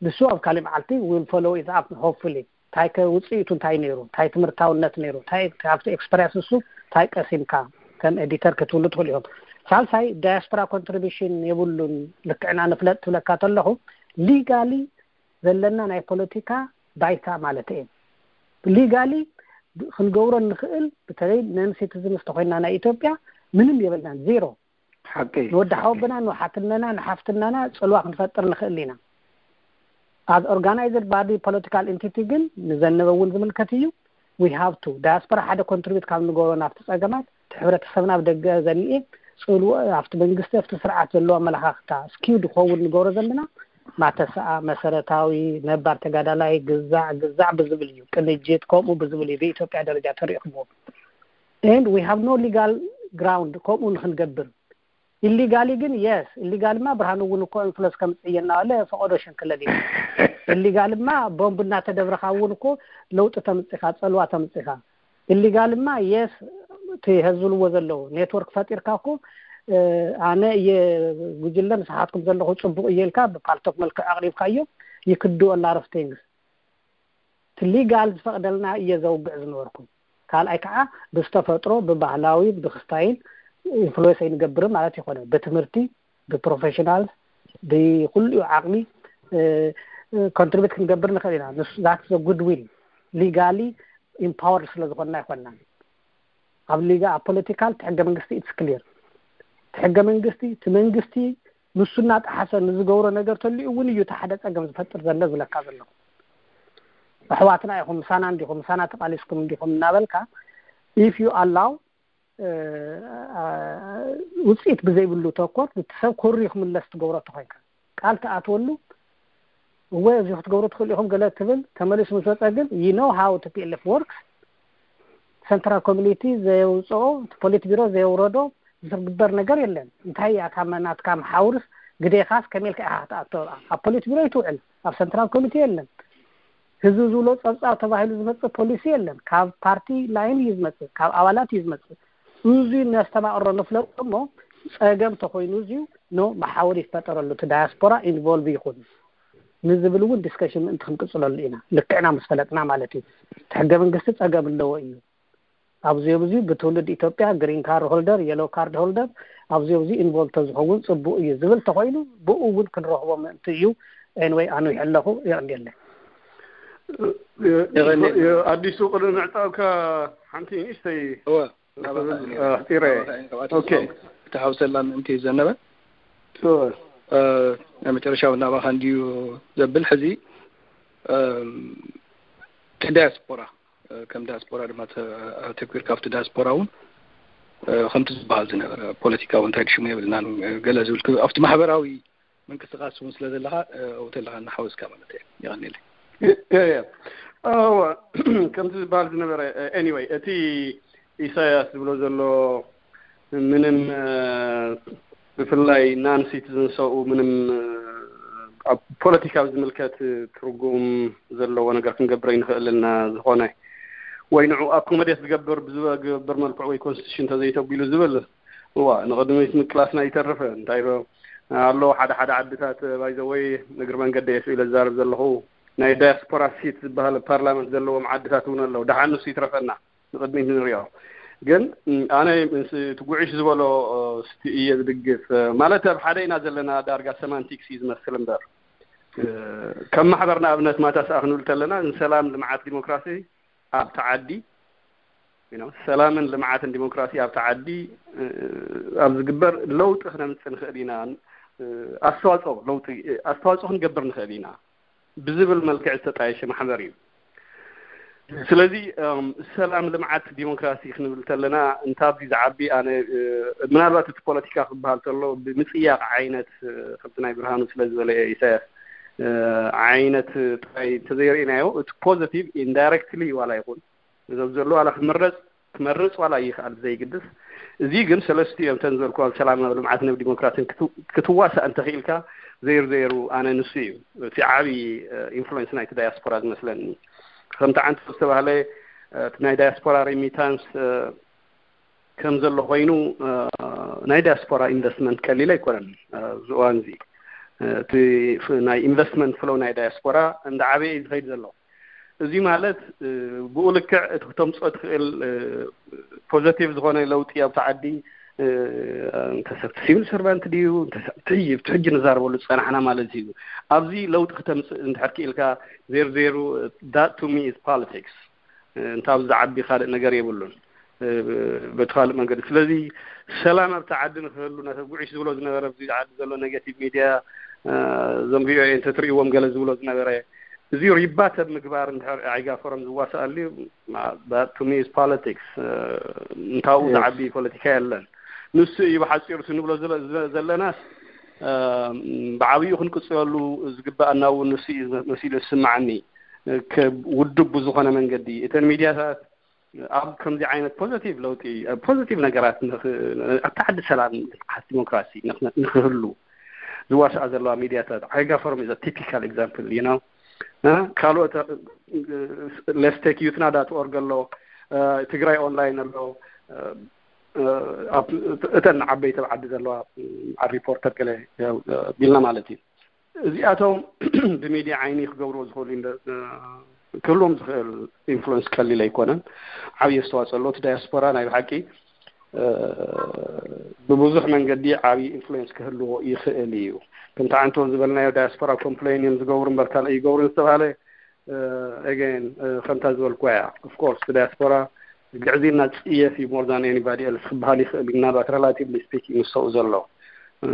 ንሱ ኣብ ካልእ መዓልቲ will follow it up, hopefully። እንታይ ከ ውጽኢቱ እንታይ ነይሩ፣ እንታይ ትምህርታውነት ነይሩ፣ እንታይ ካብቲ ኤክስፐሪንስ እሱ እንታይ ቀሲምካ ከም ኤዲተር ክትብሉ ትኽእሉ ኢኹም። ሳልሳይ፣ ዳያስፖራ ኮንትሪቢሽን የብሉን፣ ልክዕና ንፍለጥ ትብለካ ተለኹ፣ ሊጋሊ ዘለና ናይ ፖለቲካ ባይታ ማለት እዩ። ሊጋሊ ክንገብሮ እንኽእል፣ በተለይ ነን ሲቲዝንስ ተኾይንና ናይ ኢትዮጵያ፣ ምንም የብልናን፣ ዜሮ። ሓቂ። ንወዲ ሓወብና፣ ንሓትነና፣ ንሓፍትናና ጽልዋ ክንፈጥር ንኽእል ኢና። As organized body political entity ግን ንዘነበ እውን ዝምልከት እዩ። We have to፣ ዳያስፖራ ሓደ ኮንትሪቢዩት ካብ ንገብሮ ናብቲ ጸገማት፣ እቲ ሕብረተሰብና ኣብ ደገ ዘኒኤ ጽልዎ ኣብቲ መንግስቲ፣ ኣብቲ ስርዓት ዘለዎ ኣመለኻኽታ ስኪው ድኸውን ንገብሮ ዘለና ማተሰኣ፣ መሰረታዊ፣ ነባር ተጋዳላይ፣ ግዛዕ፣ ግዛዕ ብዝብል እዩ። ቅንጅት ከምኡ ብዝብል እዩ ብኢትዮጵያ ደረጃ ተሪእኹምዎ። And we have no legal ground ከምኡ ንክንገብር። ኢሊጋሊ ግን፣ የስ፣ ኢሊጋልማ ብርሃኑ እውን እኮ ኢንፍሉንስ ከምጽእ እየ እናበለ ፈቐዶ ሸንክለል እዩ። ኢሊጋልማ ቦምብ እናተደብረኻ እውን እኮ ለውጢ ተምጽኻ፣ ጸልዋ ተምጽኻ። ኢሊጋልማ፣ የስ፣ እቲ ህዝቢ ዝብልዎ ዘለዉ ኔትወርክ ፈጢርካ እኮ፣ እ፣ ኣነ እየ ጉጅለ፣ ንስኻትኩም ዘለኹ ጽቡቕ እየ ኢልካ ብፓልቶክ መልክዕ ኣቕሪብካዮ፣ you could do a lot of things። እቲ ሊጋል ዝፈቕደልና እየ ዘውግዕ ዝነበርኩ። ካልኣይ ከዓ ብዝተፈጥሮ፣ ብባህላዊ፣ ብክስታይል ኢንፍሉዌንስ ኣይንገብርን ማለት ይኮነ። ብትምህርቲ፣ ብፕሮፌሽናል፣ ብኩሉ ዓቕሚ፣ እ፣ እ፣ ኮንትሪቢዩት ክንገብር ንኽእል ኢና። ንሱ፣ that's a good will። ሊጋሊ ኢምፓወርድ ስለ ዝኾንና ኣይኮንናን። ኣብ ሊጋ፣ ኣብ ፖለቲካል፣ እቲ ሕገ መንግስቲ፣ it's clear። እቲ ሕገ መንግስቲ፣ እቲ መንግስቲ ንሱ እናጠሓሰ ንዝገብሮ ነገር ተሊኡ እውን እዩ እቲ ሓደ ጸገም ዝፈጥር ዘሎ ዝብለካ ዘለኹ። ኣሕዋትና ኢኹም፣ ምሳና እንዲኹም፣ ምሳና ተቃሊስኩም እንዲኹም እናበልካ፣ if you allow፣ እ፣ እ፣ ውጽኢት ብዘይብሉ ተኮር፣ እቲ ሰብ ኮሪ ክምለስ ትገብሮ ተኾይንካ፣ ቃል ትኣትወሉ፣ እወ፣ እዚ ክትገብሩ ትኽእሉ ኢኹም ገለ ትብል፣ ተመሊሱ ምስ ወጸ ግን፣ you know how T P L F works። ሰንትራል ኮሚኒቲ ዘየውጽኦ፣ እቲ ፖሊት ቢሮ ዘየውረዶ ዝግበር ነገር የለን። እንታይ እያ ካብ ናትካ መሓውርስ፣ ግዴኻስ ከመይ ኢልካ ኢኻ ክትኣቶ ኣብኣ? ኣብ ፖሊት ቢሮ እዩ ትውዕል፣ ኣብ ሰንትራል ኮሚቴ የለን። ህዝቢ ዝብሎ ጸብጻብ ተባሂሉ ዝመጽእ ፖሊሲ የለን። ካብ ፓርቲ ላይን እዩ ዝመጽእ፣ ካብ ኣባላት እዩ ዝመጽእ። እዚ ነስተማቕሮ ንፍለጦ እሞ፣ ጸገም ተኾይኑ፣ እዚ ኖ መሓውር ይፈጠረሉ፣ እቲ ዳያስፖራ ኢንቮልቭ ይኹን ንዝብል እውን ዲስከሽን ምእንቲ ክንቅጽለሉ ኢና። ልክዕና ምስ ፈለጥና ማለት እዩ። እቲ ሕገ መንግስቲ ጸገም ኣለዎ እዩ። ኣብዚ ኣብዚ ብትውልድ ኢትዮጵያ፣ ግሪን ካርድ ሆልደር፣ የሎ ካርድ ሆልደር፣ ኣብዚ ኣብዚ ኢንቮልቭ ተዝኸውን ጽቡቕ እዩ ዝብል ተኾይኑ፣ ብኡ እውን ክንረኽቦ ምእንቲ እዩ። ኤንወይ፣ ኣንዊሐ ኣለኹ፣ የቐንየለይ። የ-፣ የ-፣ የቐንየለይ። የ-፣ ኣዲሱ፣ ቅድሚ ምዕጻውካ ሓንቲ ንእሽተይ እወ፣ ናባኻ ክብል፣ እዩ። እ፣ ኣሕጺረ። ናባኻ እዩ። ካብኣቶ ኦኬ። ክተሓውሰላ ምእንቲ እዩ ዘነበ። እወ። እ፣ ናይ መጨረሻ እውን ናባኻ እንድዩ ዘብል። ሕዚ፣ እም፣ እቲ ዳያስፖራ፣ እ፣ ከም ዳያስፖራ ድማ ተ-፣ ኣተኲርካ ኣብቲ ዳያስፖራ እውን፣ እ፣ ከምቲ ዝበሃል ዝነበረ ፖለቲካዊ እንታይ ሽሙ የብልናን፣ እ፣ ገለ ዝብል ክ-፣ ኣብቲ ማሕበራዊ ምንቅስቃስ እውን ስለ ዘለኻ፣ እ፣ ኣብኡ ተለኻ እናሓወስካ ማለት እየ። የቐንየለይ። የ-፣ የ-፣ የ-፣ እወ፣ ከምቲ ዝበሃል ዝነበረ፣ እ፣ ኤኒወይ፣ እቲ ኢሳያስ ዝብሎ ዘሎ ምንም፣ እ፣ ብፍላይ ናን ሲቲዝን ሰብኡ ምንም፣ እ፣ ኣብ ፖለቲካዊ ዝምልከት ትርጉም ዘለዎ ነገር ክንገብር ኣይንኽእልን ኢና፣ ዝኾነ ወይ ንዕኡ ኣኮሞዴት ዝገብር፣ ብዝገብር መልክዑ ወይ ኮንስቲቱሽን እንተዘይተቢሉ ዝብል፣ እዋ፣ ንቕድሚት ምቅላስና ይተርፍ። እንታይ ዶ ኣሎ፣ ሓደ ሓደ ዓድታት፣ ባይ ዘ ወይ፣ እግሪ መንገደይ እየ ኢለ ዝዛረብ ዘለኹ፣ ናይ ዳያስፖራ ሲት ዝበሃል ፓርላመንት ዘለዎም ዓድታት እውን ኣለዉ። ደሓን ንሱ ይትረፈና፣ ንቕድሚት ንሪኦ። ግን፣ ም፣ ኣነ ምስ እቲ ጉዕሽ ዝበሎ፣ እ፣ ስቲ እየ ዝድግፍ። እ፣ ማለት ኣብ ሓደ ኢና ዘለና፣ ዳርጋ ሰማንቲክስ እዩ ዝመስል እምበር። እ፣ ከም ማሕበር ንኣብነት ማታ ሰኣ ክንብል ተለና፣ ንሰላም፣ ልምዓት፣ ዲሞክራሲ ኣብቲ ዓዲ፣ you know፣ ሰላምን ልምዓትን ዲሞክራሲ ኣብቲ ዓዲ፣ እ፣ ኣብ ዝግበር ለውጢ ክነምጽእ ንኽእል ኢና። እ፣ ኣስተዋጽኦ ለውጢ፣ እ፣ ኣስተዋጽኦ ክንገብር ንኽእል ኢና ብዝብል መልክዕ ዝተጣየሸ ማሕበር እዩ። ስለዚ፣ እም፣ ሰላም፣ ልምዓት፣ ዲሞክራሲ ክንብል ተለና፣ እንታ ኣብዚ ዝዓቢ ኣነ፣ እ፣ ምናልባት እቲ ፖለቲካ ክበሃል ተሎ ብምጽያቕ ዓይነት፣ እ፣ ከምቲ ናይ ብርሃኑ ስለ ዝበለ ኢሳያስ፣ እ፣ ዓይነት ጥራይ እንተዘይርኢናዮ፣ እቲ ፖዘቲቭ ኢንዳይረክትሊ ዋላ ይኹን፣ ነዞም ዘለዉ ዋላ ክምረጽ፣ ክመርጽ ዋላ ይኽኣል ብዘይግድስ፣ እዚ ግን ሰለስቲኦም እተን ዝበልኩ ኣብ ሰላም፣ ኣብ ልምዓትን ኣብ ዲሞክራሲን ክት-፣ ክትዋሳእ እንተኽኢልካ፣ ዘይሩ ዘይሩ ኣነ ንሱ እዩ እቲ ዓቢ፣ እ፣ ኢንፍሉዌንስ ናይቲ ዳያስፖራ ዝመስለኒ። ከምቲ ዓንቶ ዝተባህለ፣ እ፣ እቲ ናይ ዳያስፖራ ሬሚታንስ፣ እ፣ ከም ዘሎ ኮይኑ፣ እ፣ ናይ ዳያስፖራ ኢንቨስትመንት ቀሊል ኣይኮነን። እ፣ ኣብዚ እዋን እዚ፣ እ፣ እቲ ፍ-፣ ናይ ኢንቨስትመንት ፍሎው ናይ ዳያስፖራ እንዳ ዓበየ እዩ ዝኸይድ ዘሎ። እዚ ማለት፣ እ፣ ብኡ ልክዕ እቲ ክተምፅኦ ትኽእል፣ እ፣ ፖዘቲቭ ዝኾነ ለውጢ ኣብቲ ዓዲ፣ እ፣ እንተ ሰብ ሲቪል ሰርቫንት ድዩ፣ እንተ ሰብ እቲ ሕጂ፣ እቲ ሕጂ ንዛረበሉ ዝፀናሕና ማለት እዩ። ኣብዚ ለውጢ ክተምፅእ እንድሕር ክኢልካ፣ ዜር ዜሩ፣ that to me is politics። እ፣ እንተ ኣብዚ ዝዓቢ ካልእ ነገር የብሉን። እ፣ በቲ ካልእ መንገዲ። ስለዚ ሰላም ኣብቲ ዓዲ ንክህሉ፣ ነቲ ጉዕሽ ዝብሎ ዝነበረ፣ ኣብዚ ዓዲ ዘሎ ኔጋቲቭ ሚድያ፣ እ፣ እዞም ቪ ኦ ኤ እንተትርእይዎም ገለ ዝብሎ ዝነበረ፣ እዚ ሪባተ ምግባር እንድሕር ዓይጋ ፎረም ዝዋስኣሉ፣ ማ-፣ that to me is politics። እ፣ እንታኡ Yes. ዝዓቢ ፖለቲካ የለን። ንሱ እዩ ብሓፂሩ እቲ ንብሎ ዝለ-፣ ዘ-፣ ዘለናስ፣ እ፣ ብዓብዩ ክንቅፅለሉ ዝግበኣና እውን ንሱ እዩ መሲሉ ዝስማዓኒ። እ፣ ከ-፣ ውዱብ ብዝኾነ መንገዲ እተን ሚድያታት ኣብ ከምዚ ዓይነት ፖዘቲቭ ለውጢ፣ ኣብ ፖዘቲቭ ነገራት ንኽ-፣ ኣብቲ ዓዲ ሰላም፣ ንቕሓት ዲሞክራሲ ንኽ-፣ ንኽህሉ ዝዋስኣ ዘለዋ ሚድያታት፣ ዓይጋ ፎረም is a typical example, you know። እ፣ ካልኦት፣ እ፣ let's take youth na dot org ኣሎ፣ እ፣ ትግራይ ኦንላይን ኣሎ፣ እ፣ እ፣ ኣብ እተን ዓበይቲ ኣብ ዓዲ ዘለዋ፣ እ፣ ኣብ ሪፖርተር ገለ፣ እ፣ ቢልና ማለት እዩ። እዚኣቶም ብሚድያ ዓይኒ ክገብርዎ ዝኽእሉ ኢንደ-፣ እ፣ ክህልዎም ዝኽእል ኢንፍሉዌንስ ቀሊል ኣይኮነን። ዓብዪ ኣስተዋፅኦ ኣሎ። እቲ ዳያስፖራ ናይ ብሓቂ፣ እ፣ ብብዙሕ መንገዲ ዓብዪ ኢንፍሉዌንስ ክህልዎ ይኽእል እዩ። ከምቲ ዓንቶ ዝበልናዮ ዳያስፖራ ኮምፕሌን እዮም ዝገብሩ እምበር ካልእ ይገብሩ ዝተባሃለ፣ እ፣ again፣ እ፣ ከምታ ዝበልኩዋ እያ። Of course፣ ዳያስፖራ ግዕዝይና ዝፅየፍ እዩ more than anybody else ክበሃል ይኽእል እዩ። ምናልባት ሬላቲቭሊ ስፒኪንግ ንሰኡ ዘሎ። እ፣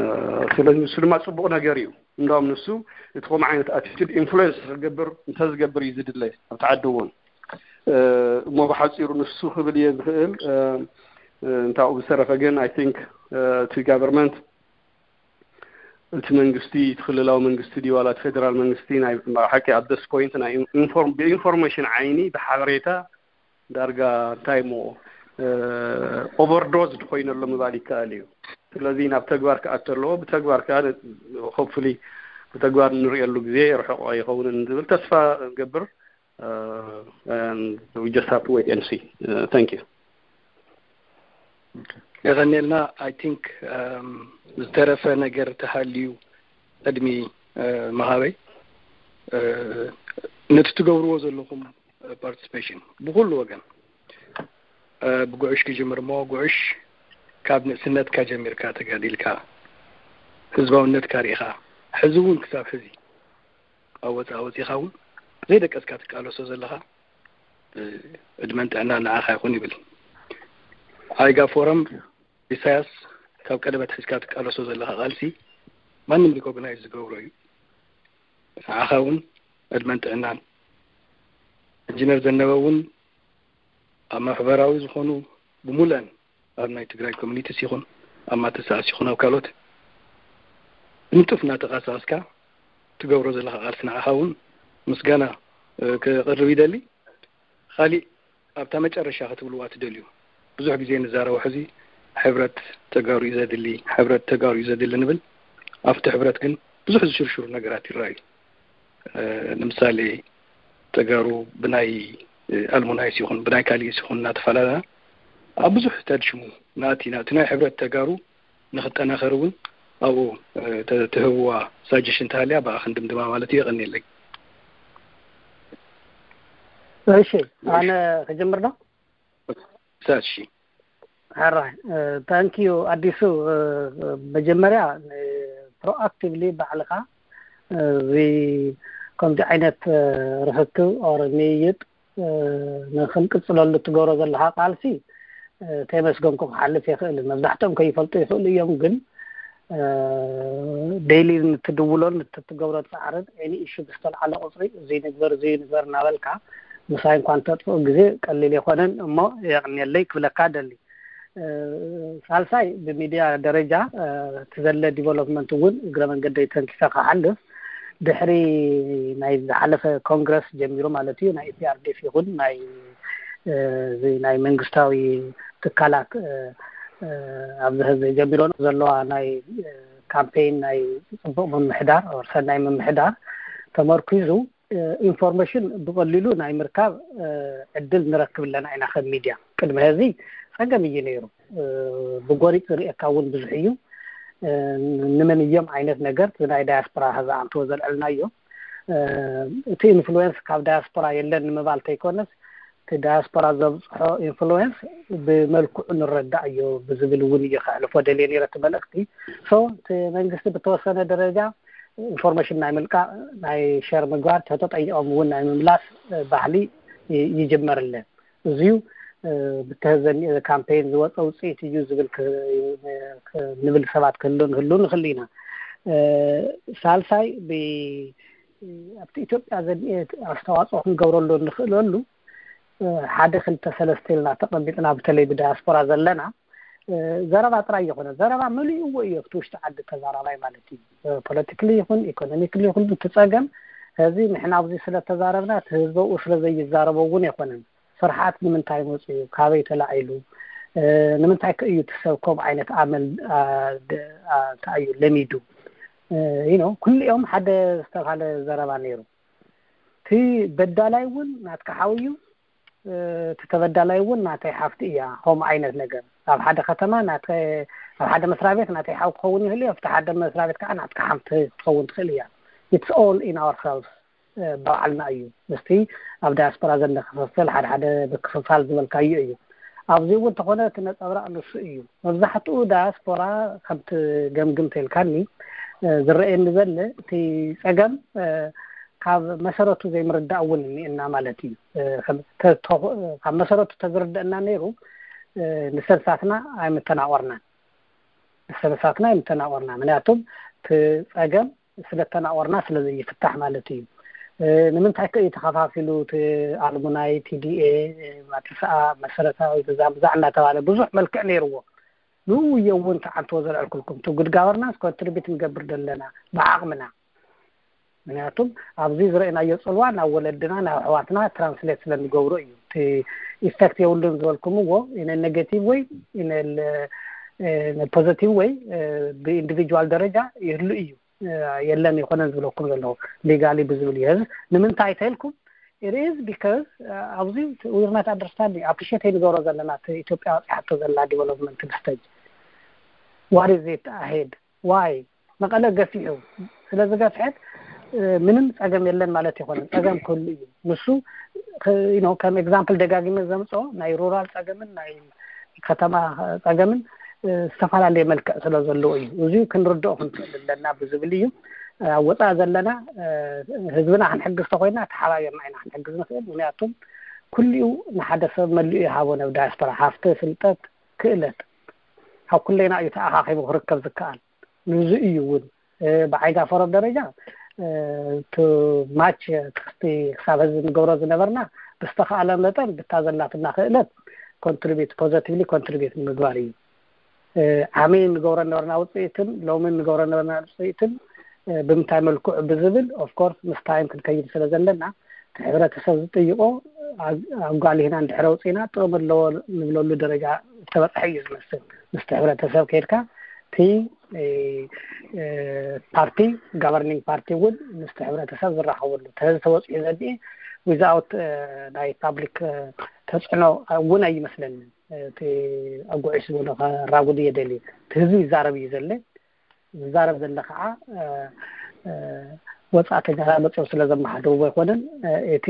ስለዚ ንሱ ድማ ፅቡቕ ነገር እዩ። እንዳውም ንሱ እቲ ከምኡ ዓይነት ኣቲቱድ ኢንፍሉዌንስ ክገብር፣ እንተዝገብር እዩ ዝድለ ኣብቲ ዓዲ እውን። እ፣ እሞ ብሓፂሩ ንሱ ክብል እየ ዝኽእል፣ እ፣ እ፣ እንታኡ ብዝተረፈ ግን፣ I think፣ እ፣ እቲ ጋቨርንመንት፣ እቲ መንግስቲ፣ እቲ ክልላዊ መንግስቲ ድዩ ዋላ እቲ ፌደራል መንግስቲ፣ ናይ ሓቂ ኣብ this point ናይ ኢንፎርም-፣ ብኢንፎርሜሽን ዓይኒ ብሓበሬታ ዳርጋ እንታይ እሞ፣ እ፣ ኦቨርዶዝድ ኮይነሎ ምባል ይከኣል እዩ። ስለዚ ናብ ተግባር ክኣቱ ኣለዎ። ብተግባር ከዓ ሆፕፉሊ ብተግባር እንርእየሉ ግዜ ርሑቕ ኣይኸውንን ዝብል ተስፋ እገብር። እ፣ and we just have to wait and see. እ፣ thank you። የቐንየልና። I think፣ እም፣ ዝተረፈ ነገር ተሃልዩ ቅድሚ፣ እ፣ ምሃበይ፣ እ፣ ነቲ ትገብርዎ ዘለኹም ፓርቲስፔሽን ብኩሉ ወገን፣ እ፣ ብጉዕሽ ክጅምር እሞ፣ ጉዕሽ ካብ ንእስነትካ ጀሚርካ ተጋዲልካ፣ ህዝባውነትካ ርኢኻ፣ ሕዚ እውን ክሳብ ሕዚ ኣብ ወፃኢ ወፂኻ እውን ዘይደቀስካ ትቃለሶ ዘለኻ፣ እ፣ ዕድመን ጥዕናን ንዓኻ ይኹን ይብል። ዓይጋ ፎረም፣ ኢሳያስ፣ ካብ ቀደም ኣትሒዝካ ትቃለሶ ዘለኻ ቃልሲ ማንም ሪኮግናይዝ ዝገብሮ እዩ። ንዓኻ እውን ዕድመን ጥዕናን። ኢንጂነር ዘነበ እውን ኣብ ማሕበራዊ ዝኾኑ ብሙሉአን ኣብ ናይ ትግራይ ኮሚኒቲስ ይኹን ኣብ ማተሰኣስ ይኹን ኣብ ካልኦት ብንጡፍ እናተቃሳቀስካ ትገብሮ ዘለኻ ቃልሲ ንዓኻ እውን ምስጋና፣ እ፣ ከቕርብ ይደሊ። ካሊእ ኣብታ መጨረሻ ክትብልዋ ትደልዩ? ብዙሕ ግዜ ንዛረቦ ሕዚ ሕብረት ተጋሩ እዩ ዘድሊ፣ ሕብረት ተጋሩ እዩ ዘድሊ ንብል። ኣብቲ ሕብረት ግን ብዙሕ ዝሽርሽሩ ነገራት ይረኣዩ። እ፣ ንምሳሌ ተጋሩ ብናይ፣ እ፣ ኣልሙናይስ ይኹን ብናይ ካሊእስ ይኹን እናተፈላለና ኣብ ብዙሕ ተድሽሙ ናቲ ናቲ ናይ ሕብረት ተጋሩ ንኽጠናኸር እውን ኣብኡ፣ እ፣ ተ-፣ ትህብዋ ሳጀሽን ተሃልያ ብኣ ክንድምድማ ማለት እዩ። የቐንየለይ። እሺ፣ ኣነ ክጀምር ዶ? ሳት፣ እሺ። ሕራይ፣ እ፣ ታንክ ዩ ኣዲሱ። እ፣ መጀመርያ ፕሮኣክቲቭሊ ባዕልኻ፣ እ፣ እዚ ከምዚ ዓይነት፣ እ፣ ርክክብ ኦር ምይይጥ፣ እ፣ ንክንቅፅለሉ ትገብሮ ዘለኻ ቃልሲ፣ እ፣ ከየመስገንኩ ክሓልፍ የኽእልን። መብዛሕትኦም ከይፈልጡ ይኽእሉ እዮም፣ ግን፣ እ፣ ዴይሊ ንትድውሎን ንትትገብሮ ፃዕርን ኤኒ ኢሹ ብዝተልዓለ ቁፅሪ እዚ ንግበር፣ እዚ ንግበር እናበልካ ምሳይ እንኳን ተጥፍኡ ግዜ ቀሊል የኾነን። እሞ የቕንየለይ ክብለካ ደሊ። እ፣ ሳልሳይ ብሚድያ ደረጃ፣ እ፣ እቲ ዘለ ዲቨሎፕመንት እውን እግረ መንገደይ ተንኪፈ ክሓልፍ ድሕሪ ናይ ዝሓለፈ ኮንግረስ ጀሚሩ ማለት እዩ፣ ናይ ኢ ፒ ኣር ዲ ኤፍ ይኹን ናይ፣ እ፣ እዚ ናይ መንግስታዊ ትካላት፣ እ፣ እ፣ ኣብዚ ህዝቢ ጀሚሮ ዘለዋ ናይ፣ እ፣ ካምፔይን ናይ ፅቡቕ ምምሕዳር ኦር ሰናይ ምምሕዳር ተመርኪዙ ኢንፎርሜሽን ብቐሊሉ ናይ ምርካብ ዕድል ንረክብ ኣለና ኢና። ከም ሚድያ ቅድሚ ሕዚ ጸገም እዩ ነይሩ። ብጎሪጥ ዝርእየካ እውን ብዙሕ እዩ። ንመን እዮም ዓይነት ነገር ናይ ዳያስፖራ ዝኣንትዎ ዘልዕልናዮ፣ እቲ ኢንፍሉዌንስ ካብ ዳያስፖራ የለን ንምባል ተይኮነስ፣ እቲ ዳያስፖራ ዘብፅሖ ኢንፍሉዌንስ ብመልክዑ ንረዳእ እዩ ብዝብል እውን እየ ከሕልፎ ደልየ ነይረ እቲ መልእክቲ። ሶ እቲ መንግስቲ ብተወሰነ ደረጃ ኢንፎርሜሽን ናይ ምልቃቕ፣ ናይ ሸር ምግባር፣ ተተጠይቆም እውን ናይ ምምላስ ባህሊ ይጅመር ኣለ። እዚዩ ብተዘኒ ካምፔን ዝወፀ ውፅኢት እዩ ዝብል ንብል ሰባት ክህሉ ንህሉ ንኽእል ኢና። ሳልሳይ፣ ኣብቲ ኢትዮጵያ ዘድልየ ኣስተዋፅኦ ክንገብረሉ እንኽእለሉ ሓደ ክልተ ሰለስተ ኢልና ተቐሚጥና፣ በተለይ ብዳያስፖራ ዘለና ዘረባ ጥራይ ይኾነ፣ ዘረባ መሊእዎ እዩ ኣብቲ ውሽጢ ዓዲ ተዛራባይ ማለት እዩ። ፖለቲክሊ ይኹን ኢኮኖሚክሊ ይኹን እቲ ጸገም ሕዚ ንሕና ኣብዚ ስለ ተዛረብና እቲ ህዝቢ ኣብኡ ስለ ዘይዛረቦ እውን ኣይኮነን። ስርሓት ንምንታይ መፅኡ፣ ካበይ ተላዒሉ፣ ንምንታይ ከ እዩ እቲ ሰብ ከምኡ ዓይነት ኣመል እንታይ እዩ ለሚዱ? You know፣ ኩሊኦም ሓደ ዝተባሃለ ዘረባ ነይሩ። እቲ በዳላይ እውን ናትካ ሓው እዩ፣ እቲ ተበዳላይ እውን ናተይ ሓፍቲ እያ። ከምኡ ዓይነት ነገር ኣብ ሓደ ከተማ፣ ኣብ ሓደ መስሪያ ቤት ናተይ ሓው ክኸውን ይኽእል እዩ፣ ኣብቲ ሓደ መስሪያ ቤት ከዓ ናትካ ሓፍቲ ክትኸውን ትኽእል እያ። It's all in ourselves ባዕልና እዩ። ምስቲ ኣብ ዳያስፖራ ዘለ ክፍፍል፣ ሓደ ሓደ ብክፍፋል ዝበልካዮ እዩ። ኣብዚ እውን እንተኾነ እቲ ነፀብራቕ ንሱ እዩ። መብዛሕትኡ ዳያስፖራ ከምቲ ገምግም ተልካኒ ዝረአየኒ ዘለ እቲ ፀገም ካብ መሰረቱ ዘይምርዳእ እውን እኒኤና ማለት እዩ። ካብ መሰረቱ ተዝርደአና ነይሩ ንሰብሳትና ኣይምተናቆርናን። ንሰብሳትና ኣይምተናቆርና። ምክንያቱም እቲ ፀገም ስለተናቆርና ስለዘይፍታሕ ማለት እዩ። ንምንታይ ከ እዩ ተኸፋፊሉ? እቲ ኣልሙናይ፣ ቲዲኤ፣ ማቲሰኣ፣ መሰረታዊ ብዛ ብዛ እናተባለ ብዙሕ መልክዕ ነይርዎ። ንኡ እየ እውን ተዓንትዎ ዘልዕልኩልኩም። እቲ ጉድ ጋቨርናንስ ኮንትሪቢት ንገብር ዘለና ብዓቕምና። ምክንያቱም ኣብዚ ዝረእናዮ ፅልዋ ናብ ወለድና ናብ ኣሕዋትና ትራንስሌት ስለንገብሮ እዩ። እቲ ኢፌክት የብሉን ዝበልኩምዎ ኢነ ኔጌቲቭ ወይ ኢነ ፖዘቲቭ ወይ ብኢንዲቪጁዋል ደረጃ ይህሉ እዩ። የለን ይኮነን ዝብለኩም ዘለኹ ሊጋሊ ብዝብል እዩ። ንምንታይ ተልኩም? It is because ኣብዚ we're not understanding፣ ኣፕሪሼት ኣይንገብሮ ዘለና እቲ ኢትዮጵያ በፂሓቶ ዘላ ዲቨሎፕመንት ስቴጅ። What is it ahead? Why? መቐለ ገፊሑ ስለዝገፍሐት ምንም ፀገም የለን ማለት ይኮነን። ፀገም ክህሉ እዩ። ንሱ ከም ኤግዛምፕል ደጋጊመ ዘምፅኦ ናይ ሩራል ፀገምን ናይ ከተማ ፀገምን ዝተፈላለየ መልክዕ ስለ ዘለዎ እዩ። እዚ ክንርድኦ ክንክእል ኣለና ብዝብል እዩ። ኣብ ወፃኢ ዘለና ህዝብና ክንሕግዝ ተኮይና ተሓባቢርና ኢና ክንሕግዝ ንክእል። ምክንያቱም ኩሊኡ ንሓደ ሰብ መሊኡ ይሃቦ፣ ናብ ዳያስፖራ ሃፍቲ፣ ፍልጠት፣ ክእለት ካብ ኩለና እዩ ተኣኻኺቡ ክርከብ ዝከኣል። ንዚ እዩ እውን ብዓይጋ ፎረም ደረጃ ቱ ማች ትክስቲ ክሳብ ህዝቢ ንገብሮ ዝነበርና ብዝተኸኣለ መጠን ብታ ዘላትና ክእለት ኮንትሪቢዩት ፖዘቲቭሊ ኮንትሪቢዩት ንምግባር እዩ። ዓሚ ንገብሮ ነበርና ውፅኢትን ሎሚ ንገብሮ ነበርና ውፅኢትን ብምንታይ መልክዑ ብዝብል ኦፍኮርስ ምስ ታይም ክንከይድ ስለ ዘለና እቲ ሕብረተሰብ ዝጥይቆ ኣጓሊህና እንድሕረ ውፅኢና ጥቕሚ ኣለዎ ንብለሉ ደረጃ ዝተበፅሐ እዩ ዝመስል። ምስቲ ሕብረተሰብ ከይድካ እቲ ፓርቲ ጋቨርኒንግ ፓርቲ እውን ምስቲ ሕብረተሰብ ዝራኸበሉ ተዚ ተወፂኡ ዘድኢ ዊዛውት ናይ ፓብሊክ ተፅዕኖ እውን ኣይመስለንን። እቲ ኣጉዒ ስብሎ ከራጉድ እየ ደልዩ። እቲ ህዝቢ ይዛረብ እዩ ዘለ። ዝዛረብ ዘለ ከዓ ወፃእተኛታት መፅኦም ስለ ዘመሓደርዎ ኣይኮነን። እቲ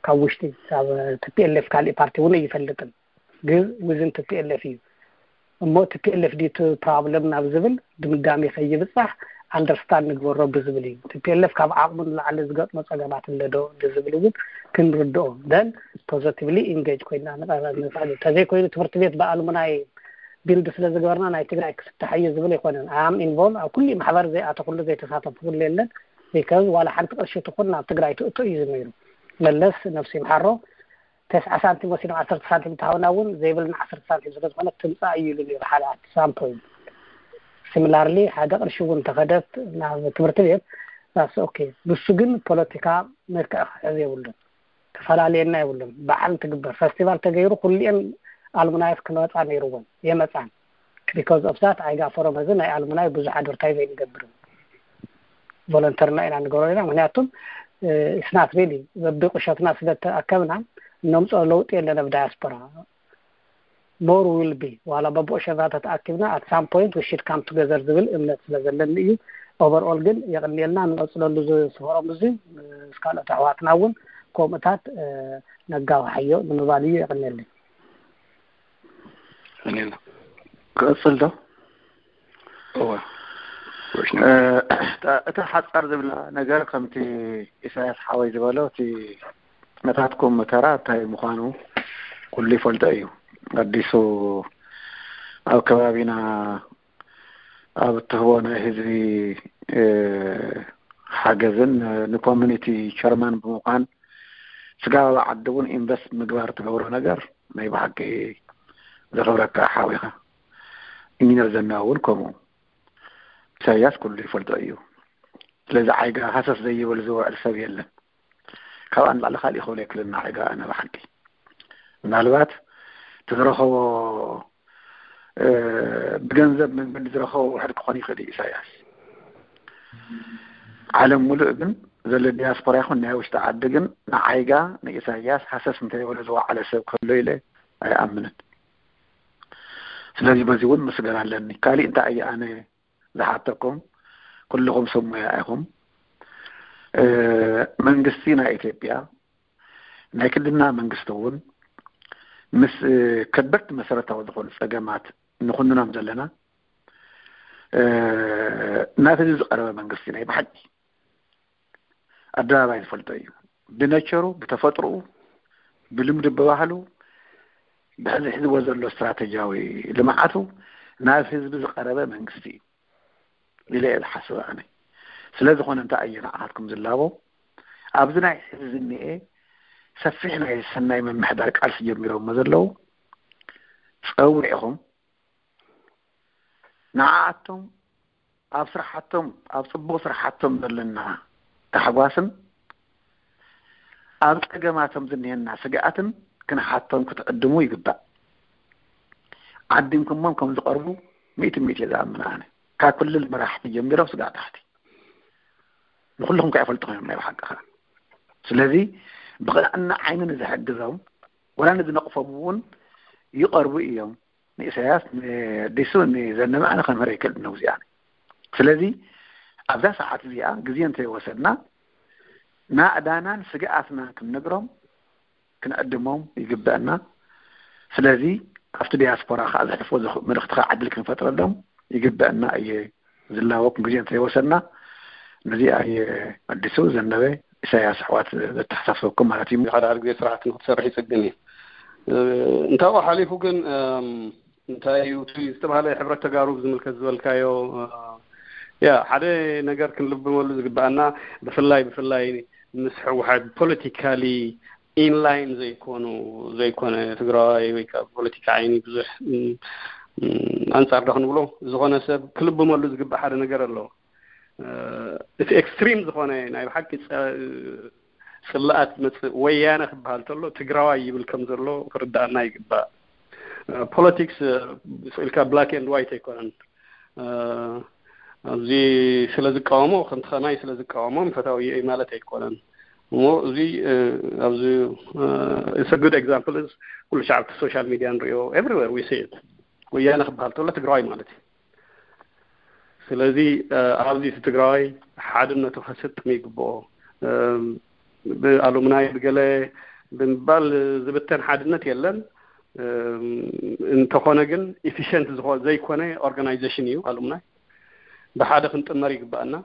ካብ ውሽጢ ካብ ቲፒኤልኤፍ ካሊእ ፓርቲ እውን ኣይፈልጥን። ግን ውዝን ቲፒኤልኤፍ እዩ እሞ ቲፒኤልኤፍ ዲቲ ፕሮብለም ናብ ዝብል ድምዳሜ ከይብፃሕ ኣንደርስታንድ ንግበሮ ብዝብል እዩ። ቲፒኤልኤፍ ካብ ዓቕሙ ንላዕሊ ዝገጥሞ ፀገማት ኣለዶ ዝብል እውን ክንርድኦ ደን ፖዘቲቭሊ ኢንጌጅ ኮይና ንቐረብ ንኽእል። እንተዘይኮይኑ ትምህርቲ ቤት ብኣልሙናይ ቢልድ ስለ ዝገበርና ናይ ትግራይ ክፍታሕ እዩ ዝብል ኣይኮነን። ኣም ኢንቮልቭ ኣብ ኩሉ ማሕበር ዘይኣተኩሉ ዘይተሳተፍኩሉ የለን። ቢካዝ ዋላ ሓንቲ ቅርሺ ትኹን ናብ ትግራይ ትእቶ እዩ ዝነይሩ። መለስ ነብሱ ይምሓሮ ተስዓ ሳንቲም ወሲዶም ዓሰርተ ሳንቲም እንተሃውና እውን ዘይብልና ዓሰርተ ሳንቲም ስለ ዝኾነ ትምፃእ እዩ ኢሉ ነይሩ ሓደ ኣት ሳም ፖይንት። ሲሚላርሊ ሓደ ቅርሺ እውን ተኸደት ናብ ትምህርቲ ቤት ስ ኦኬ። ንሱ ግን ፖለቲካ መልክዕ ክሕዝ የብሉን። ተፈላለየና የብሉን። በዓል እንትግበር ፈስቲቫል ተገይሩ ኩሊኤን ኣልሙናይስ ክመፃ ነይርዎን የመፃን። ቢካዝ ኦፍ ዛት ኣይጋ ፎረም እዚ ናይ ኣልሙናይ ብዙሕ ኣድቨርታይዝ ኣይንገብርን። ቮለንተርና ኢና ንገብሮ ኢና። ምክንያቱም it's not really በቢ ቁሸትና ስለ ተኣከብና እነምፅኦ ለውጢ የለን ኣብ ዳያስፖራ። More will be ዋላ በብቁሸትና ተተኣኪብና at some point we should come together ዝብል እምነት ስለ ዘለኒ እዩ። Overall ግን የቕንየልና፣ ንቐፅለሉ ዝስፈሮም እዚ ምስ ካልኦት ኣሕዋትና እውን ከምኡታት ነጋውሓዮ ንምባል እዩ። የቕንየለይ። ክቕፅል ዶ? እወ። እታ ሓፃር ዝብላ ነገር ከምቲ ኢሳያስ ሓወይ ዝበሎ እቲ ነታትኩም ተራ እንታይ ምዃኑ ኩሉ ይፈልጦ እዩ። ኣዲሱ ኣብ ከባቢና ኣብ እትህቦ ናይ ህዝቢ ሓገዝን ንኮሚኒቲ ቸርማን ብምዃን ስጋብ ዓዲ እውን ኢንቨስት ምግባር ትገብሮ ነገር ናይ ብሓቂ ዘኽብረካ ሓዊኻ። ኢንጂነር ዘና እውን ከምኡ። ኢሳያስ ኩሉ ይፈልጦ እዩ። ስለዚ ዓይጋ ሃሰስ ዘይብል ዝውዕል ሰብ የለን። ካብኣ ንላዕሊ ካሊእ ክብል ኣይክእልን። ዓይጋ ኣነ ብሓቂ ምናልባት እቲ ዝረኸቦ ብገንዘብ መንገዲ ዝረኸቦ ውሕድ ክኾን ይኽእል እዩ ኢሳያስ። ዓለም ሙሉእ ግን ዘሎ ዲያስፖራ ይኹን ናይ ውሽጢ ዓዲ ግን ንዓይጋ ንኢሳያስ ሃሰስ እንተይበለ ዝወዓለ ሰብ ከሎ ኢለ ኣይኣምንን። ስለዚ በዚ እውን ምስጋና ኣለኒ። ካሊእ እንታይ እየ ኣነ ዝሓተኩም? ኩልኹም ሰብ ሞያ ኢኹም። መንግስቲ ናይ ኢትዮጵያ ናይ ክልልና መንግስቲ እውን ምስ ከበድቲ መሰረታዊ ዝኾኑ ፀገማት ንኹንኖም ዘለና ናብ ህዝቢ ዝቐረበ መንግስቲ ናይ ብሓቂ ኣደባባይ ዝፈልጦ እዩ። ብነቸሩ፣ ብተፈጥሮኡ፣ ብልምዲ፣ ብባህሉ ብሕዚ ሒዝዎ ዘሎ ስትራተጂያዊ ልምዓቱ ናብ ህዝቢ ዝቐረበ መንግስቲ እዩ ኢለ እየ ዝሓስብ ኣነ። ስለ ዝኾነ እንታይ እየ ንዓኻትኩም ዝላቦ? ኣብዚ ናይ ሕዚ ዝኒኤ ሰፊሕ ናይ ሰናይ ምምሕዳር ቃልሲ ጀሚሮሞ ዘለዉ ጸዊዕኹም ንዓኣቶም ኣብ ስራሓቶም ኣብ ጽቡቕ ስራሓቶም ዘለና ታሕጓስን ኣብ ጸገማቶም ዝኒሀና ስግኣትን ክንሓቶም ክትዕድሙ ይግባእ። ዓዲምኩሞም ከም ዝቐርቡ ሚእቲ ሚእቲ እየ ዝኣምን ኣነ። ካብ ክልል መራሕቲ ጀሚሮም ስጋዕ ታሕቲ ንኩልኹም ከኣ ይፈልጥኹም እዮም ናይ ብሓቂ ኸዓ። ስለዚ ብቕንዕና ዓይኒ ንዝሕግዞም ወላ ንዝነቕፎም እውን ይቐርቡ እዮም። ንኢሳያስ ንዲሱ ንዘነበ ኣነ ከምህር ኣይክእልን ነው እዚኣ። ስለዚ ኣብዛ ሰዓት እዚኣ ግዜ እንተይወሰድና ናእዳናን ስግኣትናን ክንነግሮም ክንዕድሞም ይግበአና። ስለዚ ኣብቲ ዲያስፖራ ከዓ ዘሕልፎ መልእክቲ ከዓ ዕድል ክንፈጥረሎም ይግበአና እየ ዝላበኩም ግዜ እንተይወሰድና። ነዚኣ እየ ኣዲሱ ዘነበ ኢሳያስ ኣሕዋት ዘተሓሳስበኩም ማለት እዩ። ሓደ ሓደ ግዜ ስርዓት ንክትሰርሕ ይፅግም እዩ። እንታብኡ ሓሊፉ ግን እንታይ እዩ እቲ ዝተባሃለ ሕብረት ተጋሩ ብዝምልከት ዝበልካዮ ያ ሓደ ነገር ክንልብመሉ ዝግበኣና ብፍላይ ብፍላይ ምስ ህወሓት ፖለቲካሊ ኢንላይን ዘይኮኑ ዘይኮነ ትግራዋይ ወይ ከዓ ፖለቲካ ዓይኒ ብዙሕ ኣንፃር ዶ ክንብሎ ዝኾነ ሰብ ክልብመሉ ዝግባእ ሓደ ነገር ኣሎ። እቲ ኤክስትሪም ዝኾነ ናይ ብሓቂ ፅልኣት መፅእ ወያነ ክበሃል ተሎ ትግራዋይ ይብል ከም ዘሎ ክርዳኣና ይግባእ። ፖለቲክስ ኢልካ ብላክ ኤንድ ዋይት ኣይኮነን። ኣብዚ ስለ ዝቃወሞ ከምቲ ከማይ ስለ ዝቃወሞ ፈታዊ እዩ ማለት ኣይኮነን። እሞ እዚ ኣብዚ it's a good example is ኩሉ ሻዕ ኣብቲ ሶሻል ሚድያ ንሪኦ everywhere we see it። ወያነ ክበሃል ተሎ ትግራዋይ ማለት እዩ። ስለዚ ኣብዚ እቲ ትግራዋይ ሓድነቱ ከስጥም ይግብኦ። ብኣሉምናይ ብገለ ብምባል ዝብተን ሓድነት የለን። እንተኾነ ግን ኢፊሽንት ዝኾ ዘይኮነ ኦርጋናይዜሽን እዩ ኣሉምናይ። ብሓደ ክንጥመር ይግባኣና።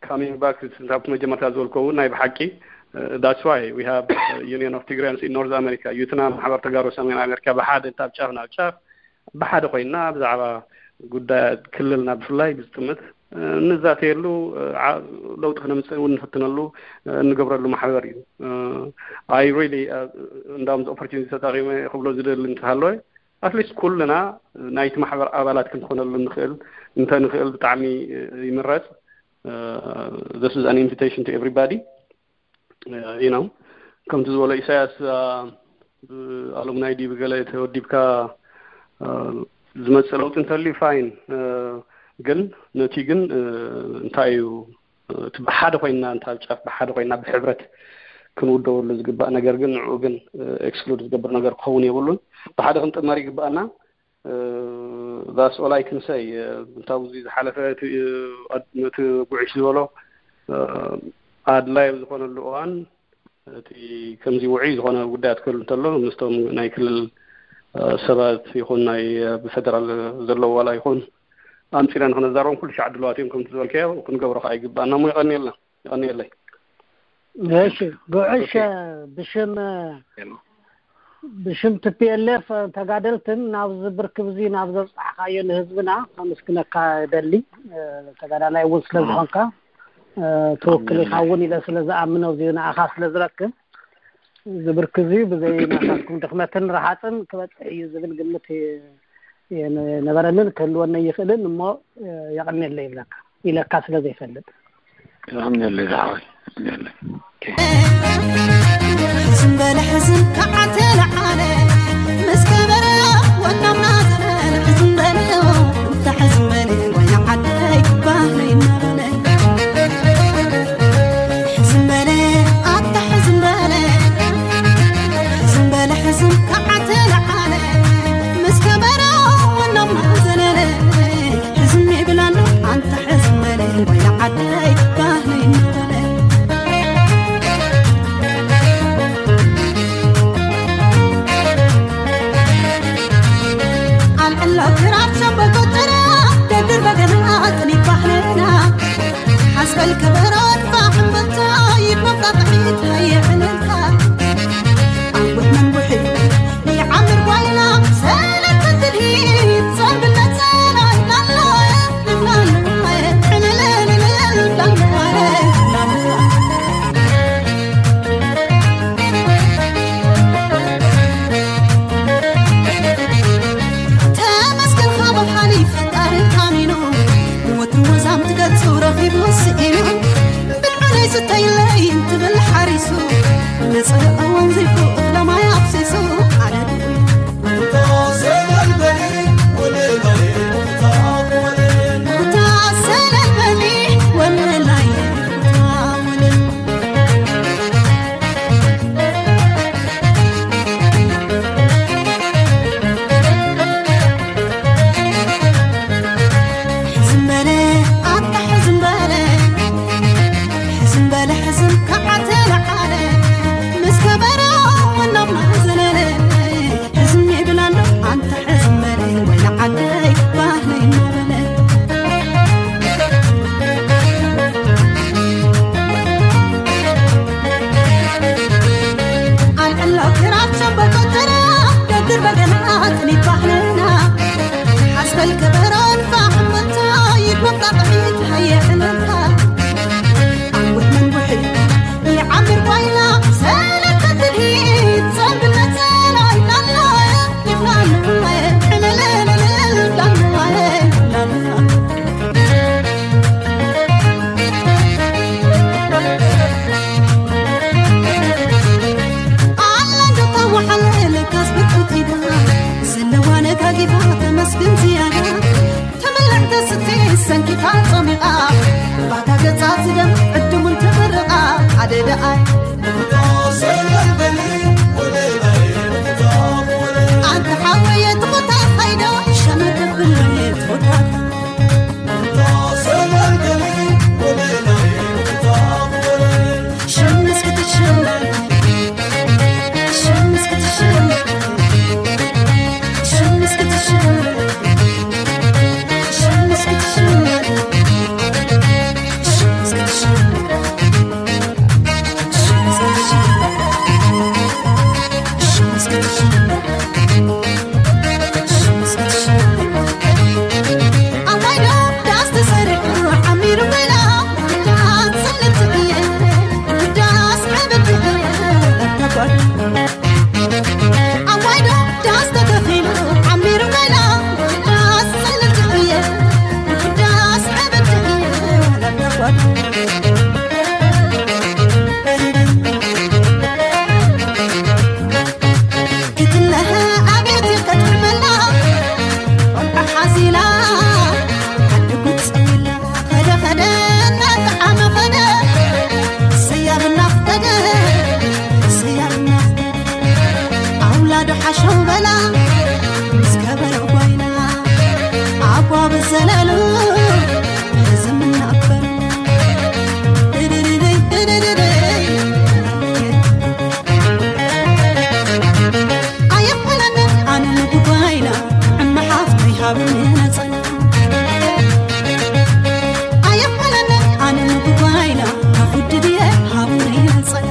ካሚንግ ባክ ናብ መጀመርታ ዝበልኮ እውን ናይ ብሓቂ that's why we have Union of Tigrayans in North America። ዩትና ማሕበር ተጋሩ ሰሜን ኣሜሪካ ብሓደ ካብ ጫፍ ናብ ጫፍ ብሓደ ኮይንና ብዛዕባ ጉዳያት ክልልና ብፍላይ ብዝጥምት ንዛተየሉ ለውጢ ክነምፅእ እውን ንፍትነሉ እንገብረሉ ማሕበር እዩ። I really እንዳውም opportunity ተጠቂመ ክብሎ ዝደሊ እንተሃለወ ኣትሊስት ኩልና ናይቲ ማሕበር ኣባላት ክንኾነሉ ንኽእል እንተንኽእል ብጣዕሚ ይምረፅ። This is an invitation to everybody you know ከምቲ ዝበሎ ኢሳያስ ኣሉምናይ ድዩ ብገለ ተወዲብካ ዝመፅእ ለውጢ እንተልዩ ፋይን ግን ነቲ ግን እንታይ እዩ እቲ ብሓደ ኮይና፣ እንተ ኣብ ጫፍ ብሓደ ኮይና ብሕብረት ክንውደበሉ ዝግባእ ነገር ግን ንዕኡ ግን ኤክስክሉድ ዝገብር ነገር ክኸውን የብሉን። ብሓደ ክንጥመር ይግባኣና። ዛስ ኦል ኣይ ክንሰይ። እንታብ እዚ ዝሓለፈ እቲ፣ እቲ ጉዕሽ ዝበሎ ኣድላይ ኣብ ዝኾነሉ እዋን፣ እቲ ከምዚ ውዑይ ዝኾነ ጉዳያት ክህሉ እንተሎ፣ ምስቶም ናይ ክልል ሰባት ይኹን ናይ ብፌደራል ዘለዉ ዋላ ይኹን ኣምፂና ንክነዛረቦም ኩሉ ሻዕ ድልዋት እዮም። ከምቲ ዝበልካዮ ክንገብሮ ከዓ ይግባኣና እሞ። የቐንየልና። የቐንየለይ። እሺ፣ ጉዕሽ ብሽም ብሽም ቲ ፒ ኤል ኤፍ ተጋደልትን ናብዚ ብርክብ እዚ ናብ ዘብፃሕካዮ ንህዝብና ከመስግነካ እደሊ። ተጋዳላይ እውን ስለ ዝኾንካ ትውክል ኢኻ እውን ኢለ ስለ ዝኣምኖ እዚ ንኣኻ ስለ ዝረክብ እዚ ብርክ እዚ ብዘይ ናታትኩም ድኽመትን ረሃፅን ክበፅሕ እዩ ዝብል ግምት ነበረንን ክህልወነ ይኽእልን እሞ የቐንየለይ ይብለካ ኢለካ ስለ ዘይፈልጥ። የቐንየለይ ዝሓወይ፣ የቐንየለይ። ሕዝም በለ ሕዝም ከዓ ተለዓለ ምስ ከበረ ወናምና ዘበለ ሕዝም በለ እንተ ሕዝም በለ ወይና ዓደይ ባህለይ እናበለ ሕዝም በለ ኣታ ሕዝም በለ ሕዝም በለ ሕዝም ከዓ ተለዓለ ምስ ከበረ ወናምና ዘለለ ሕዝም ይብላና ኣንታ ሕዝም በለ ወይና ዓደይ ባህለይ እናበለ ኣልዕሎ ክራር ሸምበቆ ጭራ ደድር በገና ኣጽኒት ባህልና ሓስበል ከበሮን ፋሕምበታ ይመጣጥዒት ሃየ ዕልልታ ኣንቡሕ መንቡሒ ይዓምር ጓይላ ሰለተ ትልሂት ጸምብለት ሰላይ ላላ ተመስገን ካብ ሓሊ ፈጣሪ ታሚኑ ወትሩ ወዛም ትገጹ ረኺቡ ስኢኑ ብልዑለይ ስተይለይ እንትብል ሓሪሱ ነጸረ ኣወንዚፉ እኽለ ማይ ኣፍሲሱ ኣነ ሓሸው በላ ምስ ከበሮ ጓይላ ኣቧ ብዘለሉ ዝምናበር ኣየፈለነ ኣነ ንጉጓይላ እመሓፍተይ ሃብኒ ነጸላ ኣየፈለነ ኣነ ንጉጓይላ ከፉድድየ ሃብኒ ነጸላ